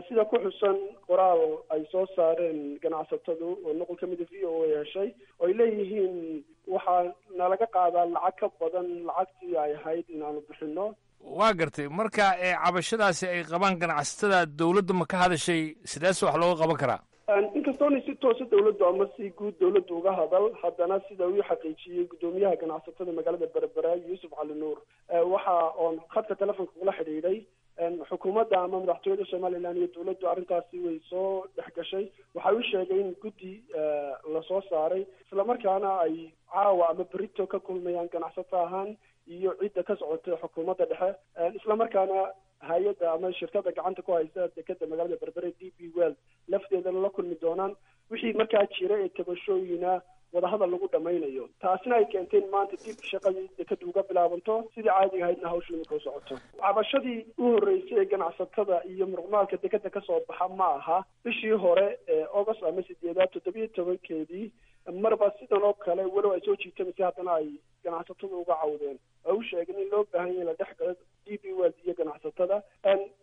Sida ku xusan qoraal ay soo saareen ganacsatadu oo nuqul kamida VOA heshay, oo ay leeyihiin waxaa nalaga qaadaa lacag ka badan lacagtii ay ahayd inaanu bixino. Waa gartay. Marka cabashadaasi ay qabaan ganacsatada, dowladda ma ka hadashay? Sideese wax looga qaban karaa? Inkastoona si toosa dowladdu ama si guud dowladdu uga hadal, haddana sida uu xaqiijiyey guddoomiyaha ganacsatada magaalada Berbera Yuusuf Cali Nuur, waxa oon khadka telefonka kula xidhiidhay xukuumadda ama madaxtooyada Somaliland iyo dowladdu arrintaasi way soo dhex gashay. Waxa uu sheegay in guddi lasoo saaray, islamarkaana ay caawa ama berito ka kulmayaan ganacsato ahaan iyo cidda ka socotay xukuumadda dhexe, islamarkaana hay-adda ama shirkadda gacanta ku haysa dekeda magaalada Berbere DP World lafteedana la kulmi doonaan, wixii markaa jira ee tabashooyina wadahadal lagu dhamaynayo. Taasina ay keentay in maanta dib shaqadii dekadu uga bilaabanto sidii caadiga ahaydna hawsha imika u socoto. Cabashadii u horreysay ee ganacsatada iyo muruqmaalka dekeda kasoo baxa ma aha. Bishii hore ee August ama 8aad 17-keedii marba sidan oo kale, walow ay soo jiitamaysa, haddana ay ganacsatadu uga cawdeen oo u sheegeen in loo baahan yahay la dhex galo DP World iyo ganacsatada.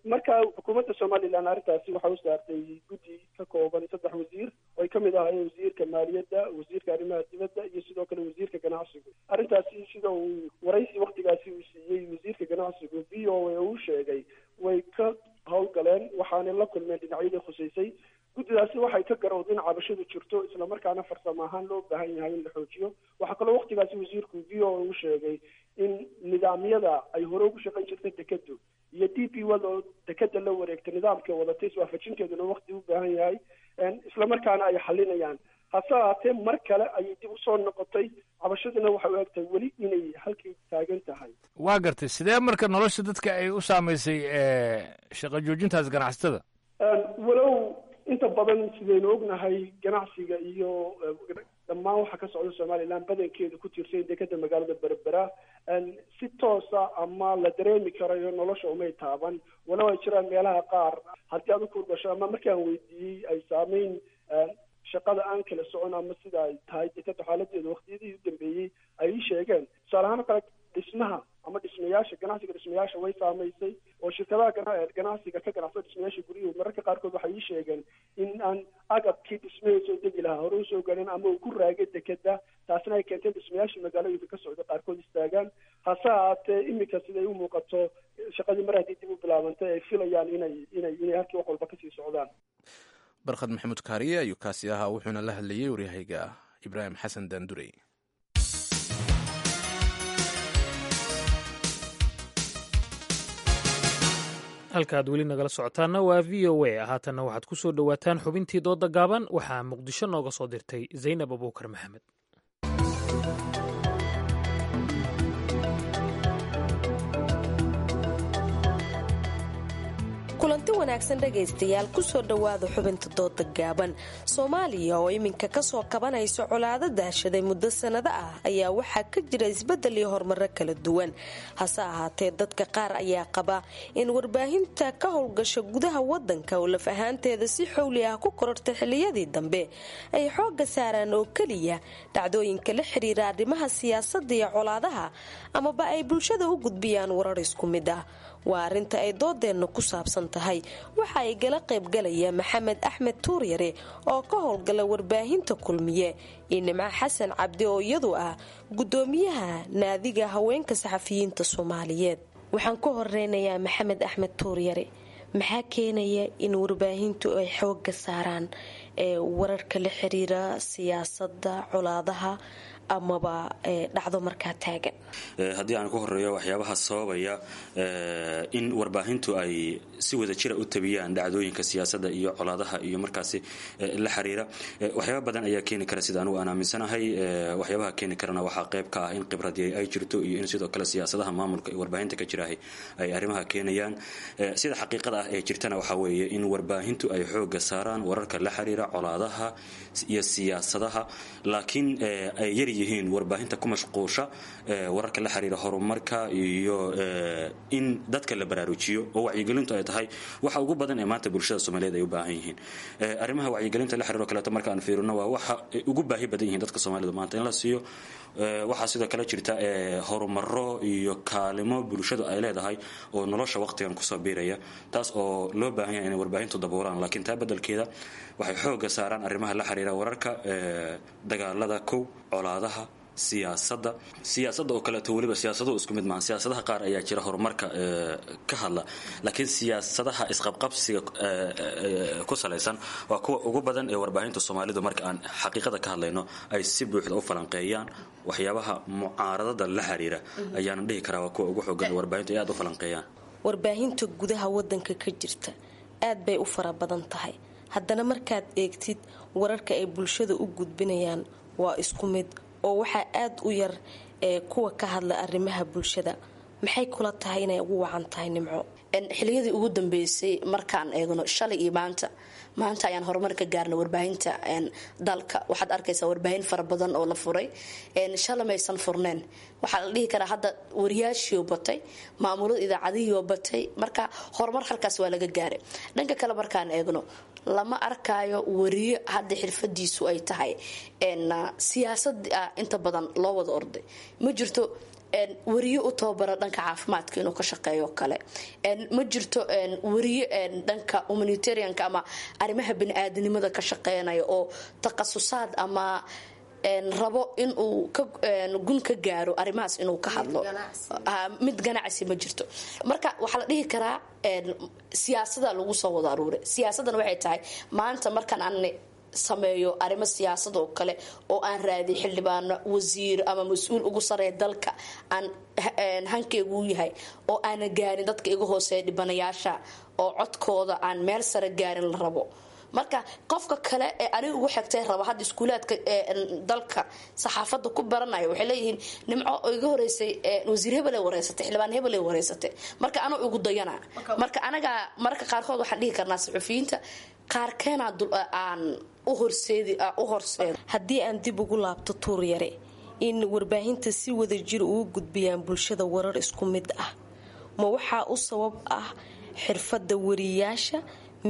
Marka xukuumadda Somaliland arrintaasi waxay u saartay guddi ka kooban saddex wasiir, oo ay kamid ahaayeen wasiirka maaliyadda, wasiirka arrimaha dibadda iyo sidoo kale wasiirka ganacsigu. Arrintaasi sida uu waraysi waktigaasi uu siiyey wasiirka ganacsigu VOA uu sheegay, way ka howlgaleen, waxaanay la kulmeen dhinacyadii khuseysay. Guddidaasi waxay ka garowday in cabashadu jirto, islamarkaana farsamo ahaan loo baahan yahay in la xoojiyo. Waxaa kaloo waktigaasi wasiirku VOA u sheegay in nidaamyada ay hore ugu shaqayn jirtay dekadu iyo DP World oo dekeda la wareegtay nidaamka wadatay iswaafajinteeduna wakti u baahan yahay, islamarkaana ay xalinayaan. Hase ahaatee mar kale ayay dib usoo noqotay cabashaduna, waxay u egtahay weli inay halkii taagan tahay. Waa gartay. Sidee marka nolosha dadka ay u saamaysay shaqo joojintaas ganacsatada? Walow inta badan sidaynu ognahay ganacsiga iyo dhammaan waxa ka socda Somaliland badankeedu ku tiirsan dekeda magaalada Berbera, si toosa ama la dareemi karayo nolosha umay taaban, walow ay jiraan meelaha qaar haddii aad u kurgasho ama markaan weydiiyey ay saameyn shaqada aan kala socon ama sida ay tahay dekeda xaaladeeda waqtiyadii u dambeeyey ay ii sheegeen. Tusaale ahaan oo kale dhismaha ama dhismayaasha, ganacsiga dhismayaasha way saamaysay, oo shirkadaha ganacsiga ka ganacsada dhismayaasha guryuhu mararka qaarkood waxay ii sheegeen in aan agabkii dhismahii soo degi lahaa hore usoo galeen ama uu ku raagay dekeda, taasina ay keentay dhismayaasha magaalooyinka ka socda qaarkood istaagaan. Hase ahaatee iminka siday u muuqato shaqadii mar haddii dib u bilaabantay ay filayaan inay halkii wax walba kasii socdaan. Barkhad Maxamuud Kaariye ayuu kaasi ahaa, wuxuuna la hadlayey waryahayga Ibraahim Xasan Daandurey. Halka aad weli nagala socotaanna waa VOA. Haatanna waxaad ku soo dhowaataan xubintii dooda gaaban. Waxaa Muqdisho nooga soo dirtay Zaynab Abuukar Maxamed. Kulanti wanaagsan dhegaystayaal, kusoo dhowaada xubinta dooda gaaban. Soomaaliya oo iminka kasoo kabanaysa colaado daashaday muddo sannado ah ayaa waxaa ka jira isbeddel iyo horumaro kala duwan. Hase ahaatee dadka qaar ayaa qaba in warbaahinta ka howlgasha gudaha wadanka oo laf ahaanteeda si xowli ah ku korortay xilliyadii dambe ay xoogga saaraan oo keliya dhacdooyinka la xiriira arrimaha siyaasadda iyo colaadaha, amaba ay bulshada u gudbiyaan warar isku mid ah. Waa arrinta ay doodeenna ku saabsan tahay. Waxa ay gala qaybgalaya Maxamed Axmed Tuuryare oo ka howlgala warbaahinta Kulmiye iyo Nimco Xasan Cabdi oo iyadu ah gudoomiyaha naadiga haweenka saxafiyiinta Soomaaliyeed. Waxaan ku horeynayaa Maxamed Axmed Tuuryare. Maxaa keenaya in warbaahintu ay xooga saaraan ee wararka la xiriira siyaasadda, colaadaha Amaba dhacdo markaa taagan. Haddii aan ku horeeyo waxyaabaha sababaya in warbaahintu ay si wada jira u tabiyaan dhacdooyinka siyaasadda iyo colaadaha iyo markaasi la xiriira, waxyaaba badan ayaa keeni kara sida anugu aan aaminsanahay. Waxyaabaha keeni karana waxaa qayb ka ah in khibradii ay jirto iyo in sidoo kale siyaasadaha maamulka ee warbaahinta ka jiraahay ay arrimaha keenayaan. Sida xaqiiqada ah ee jirtana waxaa weeye in warbaahintu ay xooga saaraan wararka la xiriira colaadaha iyo siyaasadaha, laakiin ay yar yihiin warbaahinta ku mashquusha wararka la xiriira horumarka iyo in dadka la baraarujiyo, oo wacyigelintu ay tahay waxa ugu badan ee maanta bulshada Soomaaliyeed ay u baahan yihiin. Arrimaha wacyigelinta la xiriiro kaleeto marka aan fiirino, waa waxa ay ugu baahi badan yihiin dadka Soomaalida maanta in la siiyo. Waxaa sidoo kale jirta horumaro iyo kaalimo bulshadu ay leedahay oo nolosha waqtigan kusoo biiraya, taas oo loo baahan yahay inay warbaahintu daboolaan, laakiin taa beddelkeeda waxay xooga saaraan arrimaha la xiriira wararka dagaalada, kow colaadaha, siyaasadda. Siyaasadda oo kaleeto weliba siyaasaduhu isku mid maaha. Siyaasadaha qaar ayaa jira horumarka ka hadla, laakiin siyaasadaha isqabqabsiga ku salaysan waa kuwa ugu badan ee warbaahinta Soomaalidu, marka aan xaqiiqada ka hadlayno, ay si buuxda u falanqeeyaan. Waxyaabaha mucaaradada la xiriira ayaana dhihi karaa waa kuwa ugu xoogan ee warbaahintu ay aad u falanqeeyaan. Warbaahinta gudaha wadanka ka jirta aad bay u fara badan tahay, haddana markaad eegtid wararka ay bulshada u gudbinayaan waa isku mid, oo waxaa aada u yar ee kuwa ka hadla arrimaha bulshada. Maxay kula tahay inay ugu wacan tahay, Nimco? Xiliyadii ugu dambeysay markaan eegno shalay iyo maanta, maanta ayaan horumar ka gaarnay warbaahinta dalka. Waxaad arkaysaa warbaahin fara badan oo la furay, shalay maysan furneen. Waxaa la dhihi karaa hadda wariyaashiioo batay, maamulada idaacadihiioo batay, marka horumar halkaas waa laga gaaray. Dhanka kale markaan eegno, lama arkaayo wariyo hadda xirfadiisu ay tahay siyaasad. Inta badan loo wada orday, ma jirto wariyo u tababara dhanka caafimaadka inuu ka shaqeeyo kale, ma jirto wariyo dhanka humanitarianka ama arrimaha bani-aadanimada ka shaqeynaya oo takhasusaad ama rabo inuu gun ka gaaro arrimahaas inuu ka hadlo. Mid ganacsi ma jirto. Marka waxaa la dhihi karaa siyaasada lagu soo wada aruuray. Siyaasaddan waxay tahay maanta markaan aan sameeyo arrimo siyaasad oo kale oo aan raadiy xildhibaano, wasiir ama mas-uul ugu sareeya dalka aan hankeygu yahay, oo aana gaarin dadka iga hooseeya, dhibanayaasha, oo codkooda aan meel sare gaarin la rabo. Marka qofka kale ee aniga ugu xigtay raba hadda iskuulaadka dalka saxaafadda ku baranaya waxay leeyihiin Nimco oo iga horeysay wasiir hebelay wareysatay, xildhibaan hebelay wareysatay, marka anuu igu dayana. Marka anaga mararka qaarkood waxaan dhihi karnaa saxufiyiinta qaarkeenaa aan u horseedi u horseedo. Haddii aan dib ugu laabto Tuur Yare, in warbaahinta si wada jir ugu gudbiyaan bulshada warar isku mid ah, ma waxaa u sabab ah xirfadda wariyaasha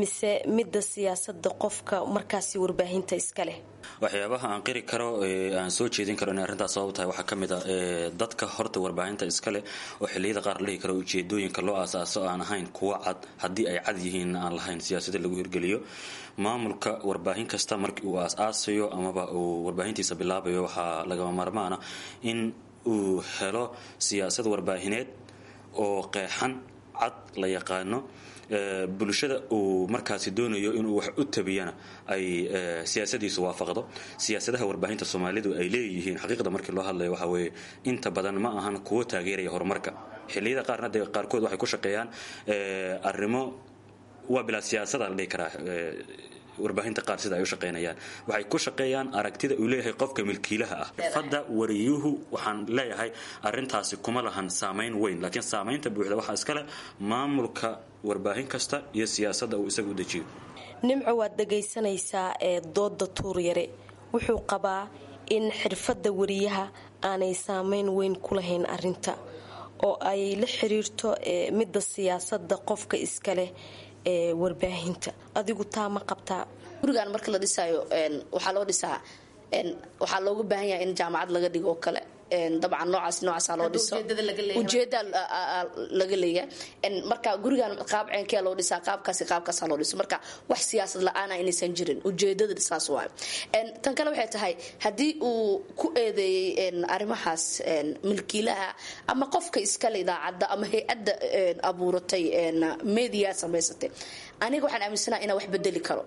mise midda siyaasadda qofka markaasi warbaahinta iska leh? Waxyaabaha aan qiri karo ee aan soo jeedin karo inay arrintaas sabab tahay waxaa ka mid a dadka horta warbaahinta iska leh oo xilliyada qaar la dhihi karo ujeedooyinka loo aasaaso aan ahayn kuwa cad, haddii ay cad yihiin aan lahayn siyaasada lagu hirgeliyo. Maamulka warbaahin kasta markii uu aas-aasayo amaba uu warbaahintiisa bilaabayo, waxaa lagama maarmaana in uu helo siyaasad warbaahineed oo qeexan, cad, la yaqaano, bulshada uu markaasi doonayo inuu wax u tabiyana ay siyaasadiisu waafaqdo. Siyaasadaha warbaahinta Soomaalidu ay leeyihiin, xaqiiqda markii loo hadlayo, waxaa weeye inta badan ma ahan kuwo taageeraya horumarka. Xilliyada qaarna dee qaarkood waxay ku shaqeeyaan arrimo waa bilaa siyaasada la dhihi karaa. Warbaahinta qaar sida ay u shaqeynayaan, waxay ku shaqeeyaan aragtida uu leeyahay qofka milkiilaha ah. Xirfadda wariyuhu, waxaan leeyahay arrintaasi kuma lahan saamayn weyn, laakiin saamaynta buuxda waxaa iskale maamulka warbaahin kasta iyo siyaasadda uu isagu u dejiyo. Nimco, waad dhagaysanaysaa ee dooda Tuur Yare. Wuxuu qabaa in xirfadda wariyaha aanay saameyn weyn ku lahayn arrinta, oo ay la xiriirto midda siyaasadda qofka iska leh ee warbaahinta. Adigu taa ma qabtaa? Gurigaan marka la dhisaayo waxaa loo dhisaa, waxaa looga baahan yahay in jaamacad laga dhigo oo kale. Dabcan noocaas noocaasaa loo dhiso, ujeeda laga leeyahay. Marka gurigan qaab ceenkee loo dhisaa, qaabkaasi qaabkaasaa loo dhiso. Marka wax siyaasad la-aana inaysan jirin, ujeedada saas waay. Tan kale waxay tahay haddii uu ku eedeeyey arrimahaas milkiilaha ama qofka iskale idaacadda ama hay-adda abuuratay media samaysatay, aniga waxaan aaminsanaha inaan wax bedeli karo.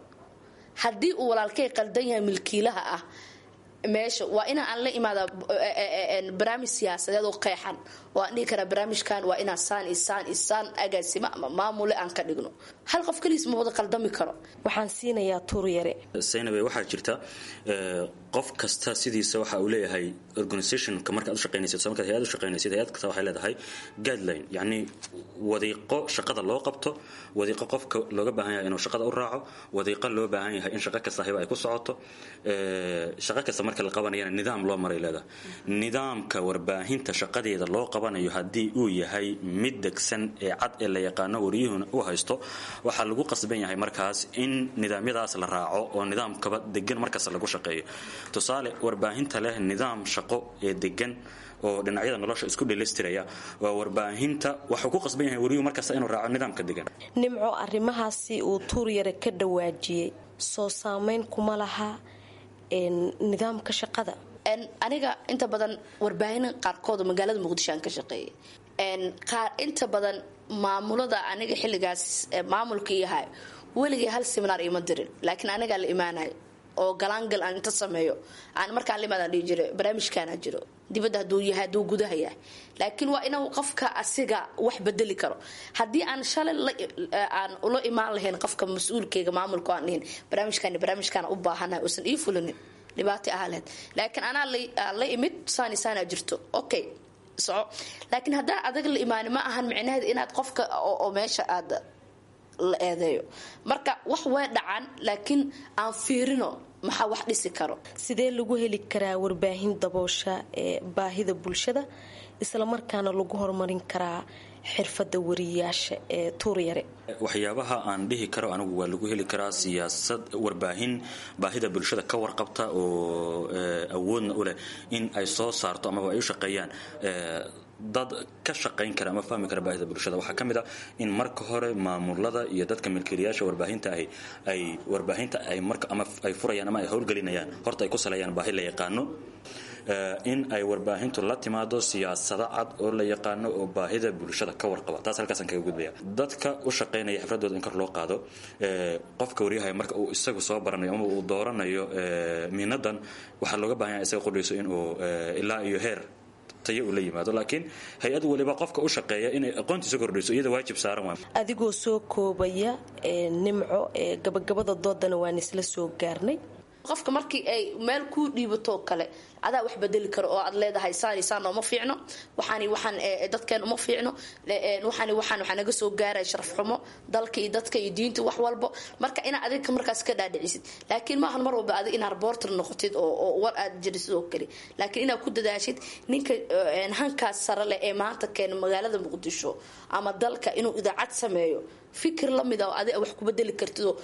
Haddii uu walaalkay qaldan yahay milkiilaha ah, Meesha waa ina aan la imaada barnaamij siyaasadeed oo qeexan oo aan dhihi karaa barnaamijkan waa inaan saan iyo saan iyo saan agaasimo ama maamule aan ka dhigno. Hal qof keligiis ma wada qaldami karo. Waxaan siinayaa Tuuryare. Saynabe, waxaa jirta qof kasta sidiisa waxa uu leeyahay organizationka markaad u shaqaynaysid, so markaad hay'ad u shaqaynaysid, hay'ad kasta waxay leedahay guideline, yacni wadiiqo shaqada loo qabto, wadiiqo qofka looga baahan yahay inuu shaqada u raaco, wadiiqo loo baahan yahay in shaqo kasta hiba ay ku socoto. Shaqo kasta marka la qabanayana nidaam loo maray leedahay. Nidaamka warbaahinta shaqadeeda loo qabanayo haddii uu yahay mid degsan ee cad ee la yaqaano, wariyuhuna uu haysto, waxaa lagu qasban yahay markaas in nidaamyadaas la raaco oo nidaamkaba degan markasta lagu shaqeeyo. Tusaale, warbaahinta leh nidaam shaqo ee degan oo dhinacyada nolosha isku dheelaystiraya waa warbaahinta waxuu ku qasban yahay wariyuhu markasta inuu raaco nidaamka degan. Nimco, arrimahaasi uu Tuuryare ka dhawaajiyey soo saameyn kuma laha nidaamka shaqada? Aniga inta badan warbaahin qaarkood magaalada Muqdisho aan ka shaqeeyay, qaar inta badan maamulada aniga xilligaas maamulka iyahay weligay hal seminaar ima dirin, laakiin anigaa la imaanayo oo galaangal aan inta sameeyo aan markaan la imaadaan dhihi jiray barnaamijkaana jiro, dibadda hadduu yahay, hadduu gudaha yahay. Laakiin waa inuu qofka asiga wax bedeli karo. Haddii aan shalay aan ula imaan lahayn qofka mas-uulkeyga maamulka aan dhihin barnaamijkaan barnaamijkaan u baahanahay, uusan ii fulinin, dhibaato ahaa lahayd. Laakiin anaa la imid saani saanaa jirto, okay, soco. Laakiin haddaa adag la imaani ma ahan micnaheed inaad qofka oo meesha aad la eedeeyo. Marka wax way dhacaan, laakiin aan fiirino maxaa wax dhisi karo. Sidee lagu heli karaa warbaahin daboosha ee baahida bulshada, islamarkaana lagu horumarin karaa xirfadda wariyaasha ee Tuuryare? Waxyaabaha aan dhihi karo anigu waa lagu heli karaa siyaasad warbaahin baahida bulshada ka warqabta oo awoodna u leh in ay soo saarto amaba ay u shaqeeyaan dad ka shaqayn kara ama fahmi kara baahida bulshada, waxaa ka mid ah in marka hore maamulada iyo dadka milkiilayaasha warbaahinta ahi ay warbaahinta ay marka ama ay furayaan ama ay howlgelinayaan horta ay ku saleeyaan baahi la yaqaano, in ay warbaahintu la timaado siyaasado cad oo la yaqaano oo baahida bulshada ka warqaba. Taas halkaasaan kaga gudbaya. Dadka u shaqaynaya xifradooda in kor loo qaado. Qofka waryahay marka uu isagu soo baranayo ama uu dooranayo miinadan, waxaa looga baahan yahay isaga qudhayso inuu ilaa iyo heer tayo uu la yimaado, laakiin hay-ad waliba qofka u shaqeeya inay aqoontiisa kordhiso iyada waajib saaran waa. Adigoo soo koobaya, Nimco, gabagabada doodana waan isla soo gaarnay. Qofka markii ay meel kuu dhiibatoo kale adaa wax bedeli karo oo aad leedahay saan saan uma fiicno, waxaan waxaan dadkeen uma fiicno, waxaan waxaan waxaa naga soo gaaray sharaf xumo dalka iyo dadka iyo diinta wax walbo. Marka inaa adiga markaas ka dhaadhicisid, laakiin maahan mar walba adiga inaad reporter noqotid oo war aad jirisid oo kale, laakiin inaad ku dadaashid ninka hankaas sare leh ee maanta keena magaalada Muqdisho ama dalka inuu idaacad sameeyo fikir la mid ah oo adiga wax ku bedeli kartid oo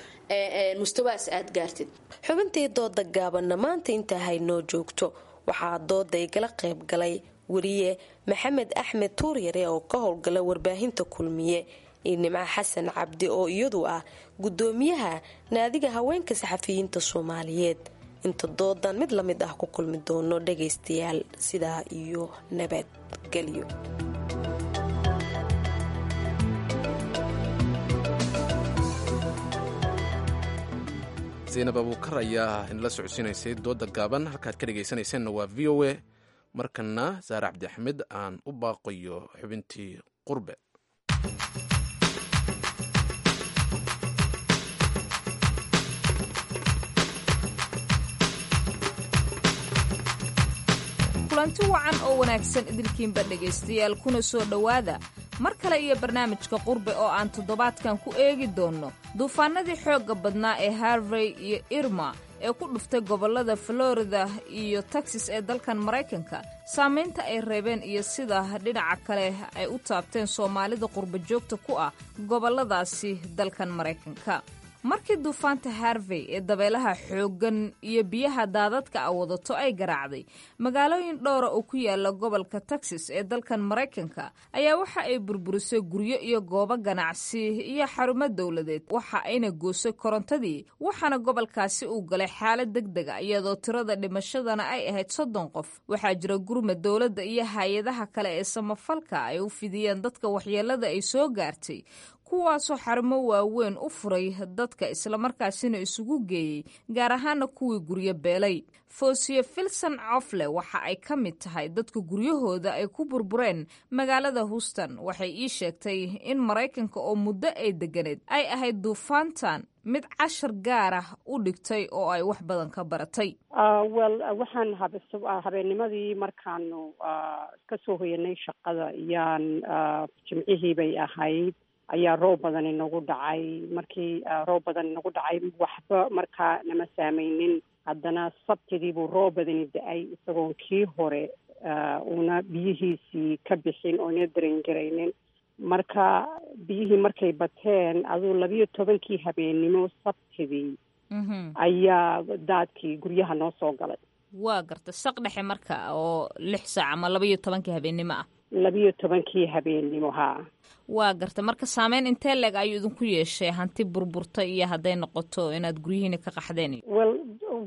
mustawaas aad gaartid. Xubintii dooda gaabanna maanta intaa haynoo joogto. Waxaa dooda igala qayb galay weriye Maxamed Axmed Tuuryare oo ka howlgala warbaahinta Kulmiye iyo Nimco Xasan Cabdi oo iyadu ah gudoomiyaha naadiga haweenka saxafiyiinta Soomaaliyeed. Inta doodan mid lamid ah ku kulmi doono dhagaystayaal, sidaa iyo nabadgelyo. Zaynab Abuukar ayaa inala socodsiinaysay dooda gaaban. Halkaad ka dhegaysanaysaanna waa VOA. Markana Saare Cabdi Axmed aan u baaqayo xubintii qurbe. Kulanti wacan oo wanaagsan idilkiinba dhegaystayaal, kuna soo dhowaada mar kale iyo barnaamijka qurbe oo aan toddobaadkan ku eegi doonno duufaanadii xoogga badnaa ee Harvey iyo Irma ee ku dhuftay gobollada Florida iyo Texas ee dalkan Maraykanka, saamaynta ay reebeen iyo sida dhinaca kale ay u taabteen Soomaalida qurba joogta ku ah gobolladaasi dalkan Maraykanka. Markii duufaanta Harvey ee dabeelaha xooggan iyo biyaha daadadka a wadato ay garaacday magaalooyin dhowra oo ku yaala gobolka Texas ee dalkan Maraykanka, ayaa waxa ay burburisay guryo iyo goobo ganacsi iyo xarumo dowladeed, waxa ayna goosay korontadii, waxaana gobolkaasi uu galay xaalad deg dega iyadoo tirada dhimashadana ay ahayd 30 qof. Waxaa jira gurmad dowladda iyo hay-adaha kale ee samafalka ay u fidiyeen dadka waxyeelada ay soo gaartay, Kuwaasoo xarumo waaweyn u furay dadka, islamarkaasina isugu geeyey, gaar ahaana kuwii guryo beelay. Foosiye Filson Cofle waxa ay ka mid tahay dadka guryahooda ay ku burbureen magaalada Houston. Waxay ii sheegtay in Maraykanka oo muddo ay deganeed ay ahayd duufaantan mid cashar gaar ah u dhigtay oo ay wax badan ka baratay. Well, waxaan habeennimadii markaanu ka soo hoyanay shaqada iyaan, Jimcihii bay ahayd, ayaa roob badan inagu dhacay. Markii roob badan inagu dhacay, waxba markaa nama saameynin. Haddana Sabtidii buu roob badani da-ay, isagoon kii hore una biyihiisii ka bixin oo ina dareengaraynin. Marka biyihii markay bateen, aduu 12-kii habeennimo Sabtidii ayaa daadkii guryaha noo soo galay. Waa garta, saq dhexe marka oo 6 saac ama 12-kii habeennimo ah. 12-kii habeennimo, haa. Waa garta. Marka saameyn intee leeg ayuu idinku yeeshay, hanti burburta iyo hadday noqoto inaad guryihiina ka qaxdeen? Well,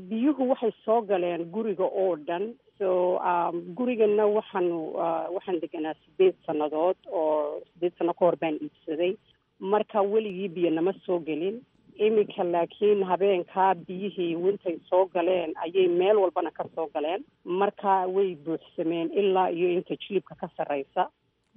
biyuhu waxay soo galeen guriga oo dhan. So gurigana waxaan deganaa 8 sannadood, oo 8 sano ka hor baan iibsaday. Marka weligii biyo nama soo gelin. Iminka laakiin habeenkaa biyihii wintay soo galeen ayay meel walbana ka soo galeen. Marka way buuxsameen ilaa iyo inta jilibka ka sarreysa.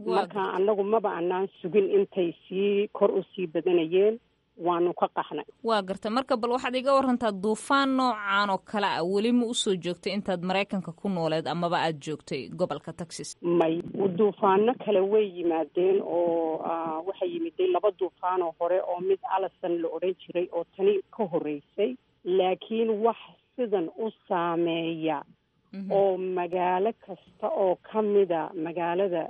Marka annagu maba anaan sugin intay sii kor usii badanayeen, waanu ka qaxnay. Waa garta. Marka bal waxaad iga warantaa, duufaan noocan oo kale ah weli ma usoo joogtay intaad Maraykanka ku nooleed amaba aad joogtay gobolka Texas? May, duufaano kale way yimaadeen oo waxay yimiday laba duufaan oo hore, oo mid Allison la odhan jiray oo tani ka horreysay, laakiin wax sidan u saameeya oo magaalo kasta oo ka mida magaalada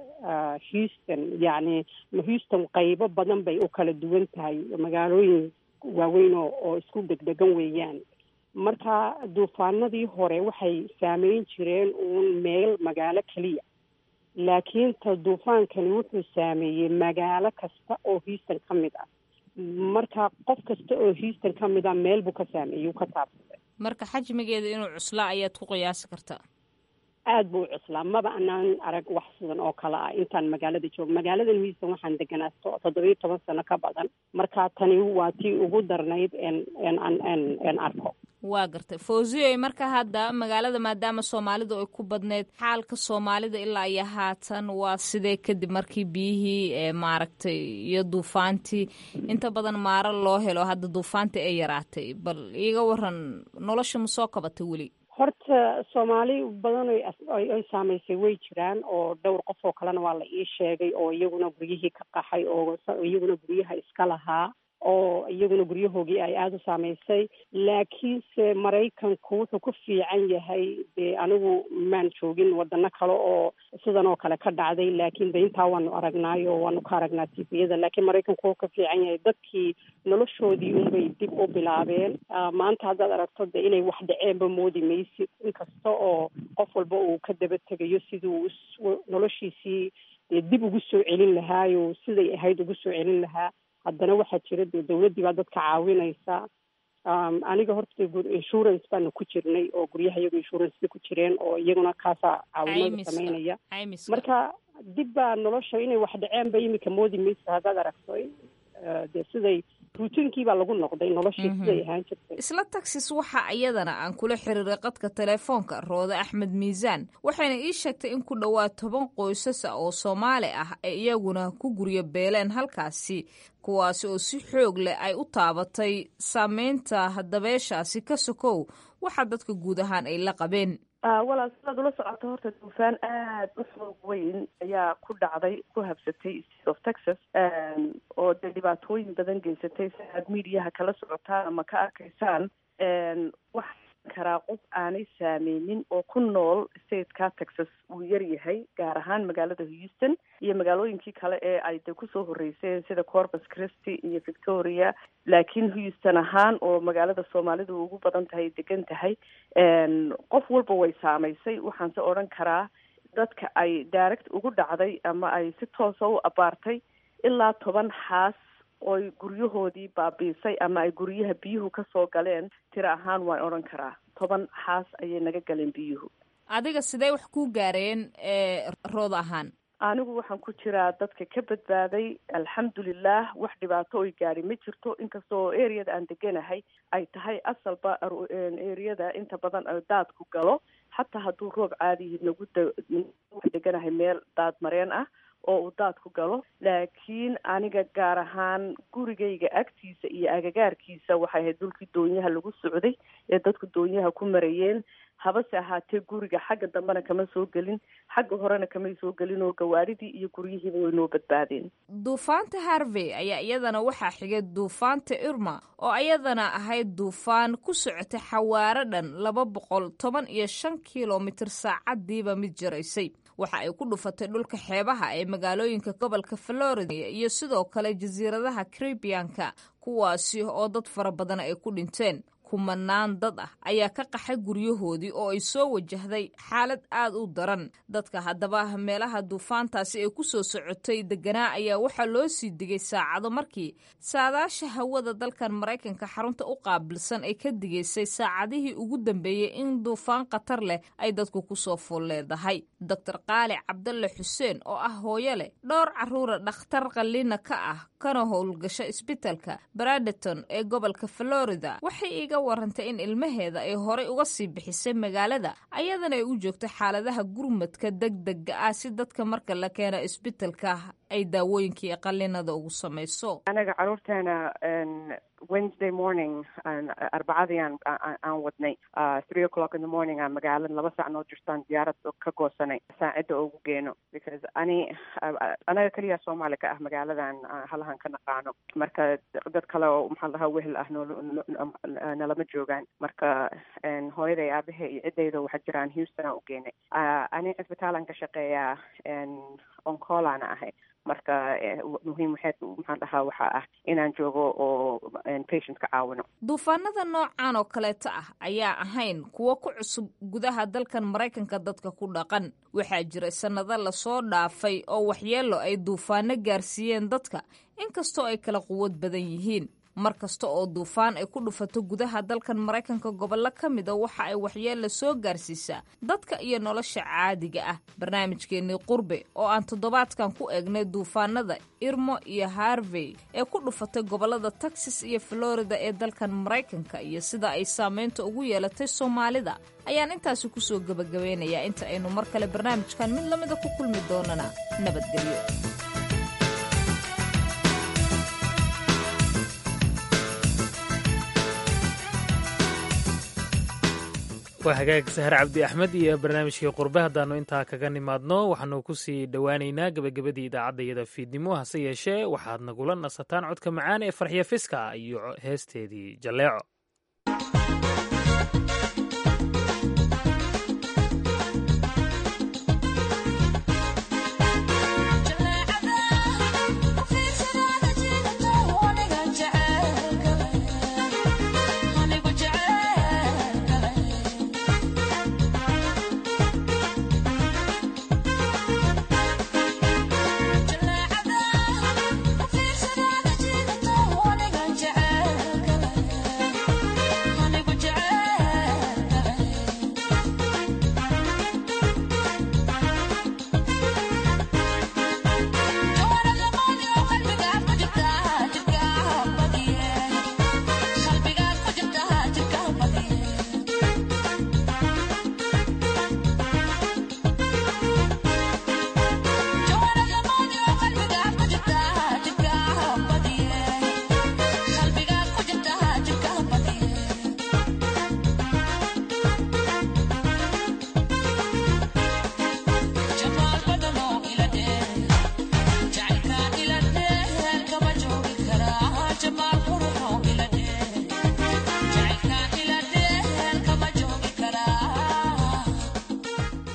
Houston, yacni Houston qaybo badan bay u kala duwan tahay, magaalooyin waaweyn oo isku dhegdhegan weeyaan. Marka duufaanadii hore waxay saameyn jireen uun meel magaalo keliya, laakiin ta duufaankani wuxuu saameeyey magaalo kasta oo Houston ka mid ah. Marka qof kasta oo Houston ka mid ah meel buu ka saameeyey, uu ka taabsaday. Marka xajmigeeda inuu cuslaa ayaad ku qiyaasi kartaa? Aad buu u cuslaa. Maba anaan arag wax sidan oo kale ah intaan magaalada joogo. Magaaladan Houston waxaan deganaa 17 sano ka badan. Marka tani waa tii ugu darnayd en en en en arko. Waa gartay, Fawziyoy. Marka hadda magaalada, maadaama soomaalidu ay ku badneyd, xaalka soomaalida ilaa iyo haatan waa sidee, kadib markii biyihii maaragtay iyo duufaantii inta badan maaro loo helo, hadda duufaantii ay yaraatay? Bal iiga waran, nolosha ma soo kabatay weli? Horta soomaali badan oy saamaysay way jiraan, oo dhowr qof oo kalena waa la ii sheegay oo iyaguna guryihii ka qaxay, oo iyaguna guryaha iska lahaa, oo iyaguna guryahoogii ay aada u saamaysay. Laakiinse Maraykanku wuxuu ku fiican yahay, dee anigu maan joogin wadano kale oo sidan oo kale ka dhacday, laakiin de intaa waanu aragnaayo oo waanu ka aragnaa TV-yada. Laakiin Maraykanku wuxuu ka fiican yahay, dadkii noloshoodii unbay dib u bilaabeen. Maanta haddaad aragto de inay wax dhaceenba moodi maysid, inkasta oo qof walba uu ka daba tegayo siduu noloshiisii dee dib ugu soo celin lahaayo, siday ahayd ugu soo celin lahaa. Haddana waxaa jira dee dawladdii baa dadka caawinaysa. Aniga horta insurance baanu ku jirnay, oo guryaha iyagu insurance bay ku jireen, oo iyaguna kaasaa caawimada sameynaya. Marka dib baa nolosha inay wax dhaceen ba iminka moodi maysa haddaad aragto. Dee siday routine-kii baa lagu noqday, noloshii siday ahaan jirtay. Isla Texas waxaa iyadana aan kula xiriiray qadka telefoonka Roode Axmed Miisaan, waxayna ii sheegtay in ku dhowaad 10 qoysas ah oo Soomaali ah ay iyaguna ku guryo beeleen halkaasi, kuwaasi oo si xoog leh ay u taabatay saameynta dabeeshaasi ka sokow waxaa dadka guud ahaan ay la qabeen. Walaal, sidaad ula socoto, horta duufaan aada u xoog weyn ayaa ku dhacday, ku habsatay State of Texas, oo dee dhibaatooyin badan geysatay. Si aad mediaha kala socotaan ama ka arkaysaan, waxaa karaa qof aanay saameynin oo ku nool stateka Texas uu yar yahay, gaar ahaan magaalada Houston iyo magaalooyinkii kale ee ay de kusoo horreyseen sida Corpus Christi iyo Victoria. Laakiin Houston ahaan, oo magaalada soomaalidu ugu badan tahay, degan tahay, qof walba way saamaysay. Waxaan se odhan karaa dadka ay direct ugu dhacday ama ay si toosa u abaartay, ilaa 10 xaas oy guryahoodii baabiisay ama ay guryaha biyuhu kasoo galeen, tiro ahaan waan odhan karaa 10 xaas ayay naga galeen biyuhu. Adiga sidee wax kuu gaareen, Rood ahaan? Anigu waxaan ku jiraa dadka ka badbaaday, alxamdulilah. Wax dhibaato oy gaadhi ma jirto, inkastoo areada aan deganahay ay tahay asalba areada inta badan daadku galo, xataa hadduu roob caadihi nagu deganahay meel daad mareen ah oo uu daadku galo. Laakiin aniga gaar ahaan gurigayga agtiisa iyo agagaarkiisa waxay ahayd dhulkii doonyaha lagu socday ee dadku doonyaha ku marayeen. Habase ahaatee guriga xagga dambena kama soo gelin, xagga horena kamay soo gelin, oo gawaadhidii iyo guryihiiba way noo badbaadeen. Duufaanta Harvey ayaa iyadana waxaa xigay duufaanta Irma, oo iyadana ahayd duufaan ku socotay xawaaro dhan 215 kilomitir saacadiiba mid jiraysay. Waxa ay ku dhufatay dhulka xeebaha ee magaalooyinka gobolka Florida iyo sidoo kale jasiiradaha Caribianka, kuwaasi oo dad fara badan ay ku dhinteen. Kumanaan dad ah ayaa ka qaxay guryahoodii oo ay soo wajahday xaalad aad u daran. Dadka haddaba meelaha duufaantaasi ay ku soo socotay deganaa ayaa waxaa loo sii digay saacado markii saadaasha hawada dalkan Maraykanka xarunta u qaabilsan ay ka digaysay saacadihii ugu dambeeyey in duufaan khatar leh ay dadku kusoo fool leedahay. Doctor Qaali Cabdalle Xuseen oo ah hooyo leh dhowr caruura, dhakhtar qalliina ka ah kana howlgasha isbitalka Bradenton ee gobolka Florida, waxay iga warantay in ilmaheeda ay horay uga sii bixisay magaalada, ayadana ay u joogto xaaladaha gurmadka degdega ah si dadka marka la keeno isbitalka ay daawooyinkii qallinada ugu samayso. Anaga caruurteena Wednesday morning, Arbacadii aan wadnay, 3 o'clock in the morning aan magaalada 2 saac noo jirtaan diyaarad ka goosanay saacidda ugu geeno, because ani anaga keliya Soomaali ka ah magaaladan halahan ka naqaano. Marka dad kale oo, maxaa lahaa, wehel ah nalama joogaan. Marka hooyaday, aabahe iyo ciddayda waxaa jiraan Houston aan u geenay. Ani cisbitaalaan ka shaqeeyaa, on call aana ahay. Marka muhiim waxay, maxaan dhahaa, waxaa ah inaan joogo oo patient ka caawino. Duufaanada noocan oo kaleeto ah ayaa ahayn kuwo ku cusub gudaha dalkan Maraykanka dadka ku dhaqan. Waxaa jiray sannado lasoo dhaafay oo waxyeelo ay duufaano gaarsiiyeen dadka, inkastoo ay kala quwad badan yihiin. Mar kasta oo duufaan ay ku dhufato gudaha dalkan Maraykanka gobollo ka mida, waxa ay waxyeella soo gaarsiisaa dadka iyo nolosha caadiga ah. Barnaamijkeennii Qurbe oo aan toddobaadkan ku eegnay duufaanada Irma iyo Harvey ee ku dhufatay gobollada Texas iyo Florida ee dalkan Maraykanka iyo sida ay saameynta ugu yeelatay Soomaalida ayaan intaasi kusoo gebagabeynayaa. Inta aynu mar kale barnaamijkan mid lamida ku kulmi doonana, nabadgelyo. Waa hagaag, Sahar Cabdi Axmed iyo barnaamijkii Qurbe haddaannu intaa kaga nimaadno, waxaanu kusii dhowaaneynaa gebagabadii idaacaddayada fiidnimo. Hase yeeshee waxaad nagula nasataan codka macaan ee Farxiya Fiska iyo heesteedii Jalleeco.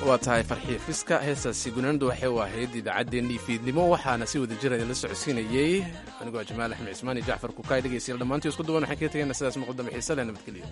Waa tahay, Farxiya Fiska, heestaasi gunaandu waxay u ahayd idaacaddeenii fiidnimo. Waxaana si wada jira idinla socodsiinayey anigoo Jamaal Axmed Cismaan iyo Jacfar Kukaay. Dhegeystayaal, dhammaantii isku duwan waxaan kaga tegaynaa sidaas muqdame xiise leh. Nabadgelyo.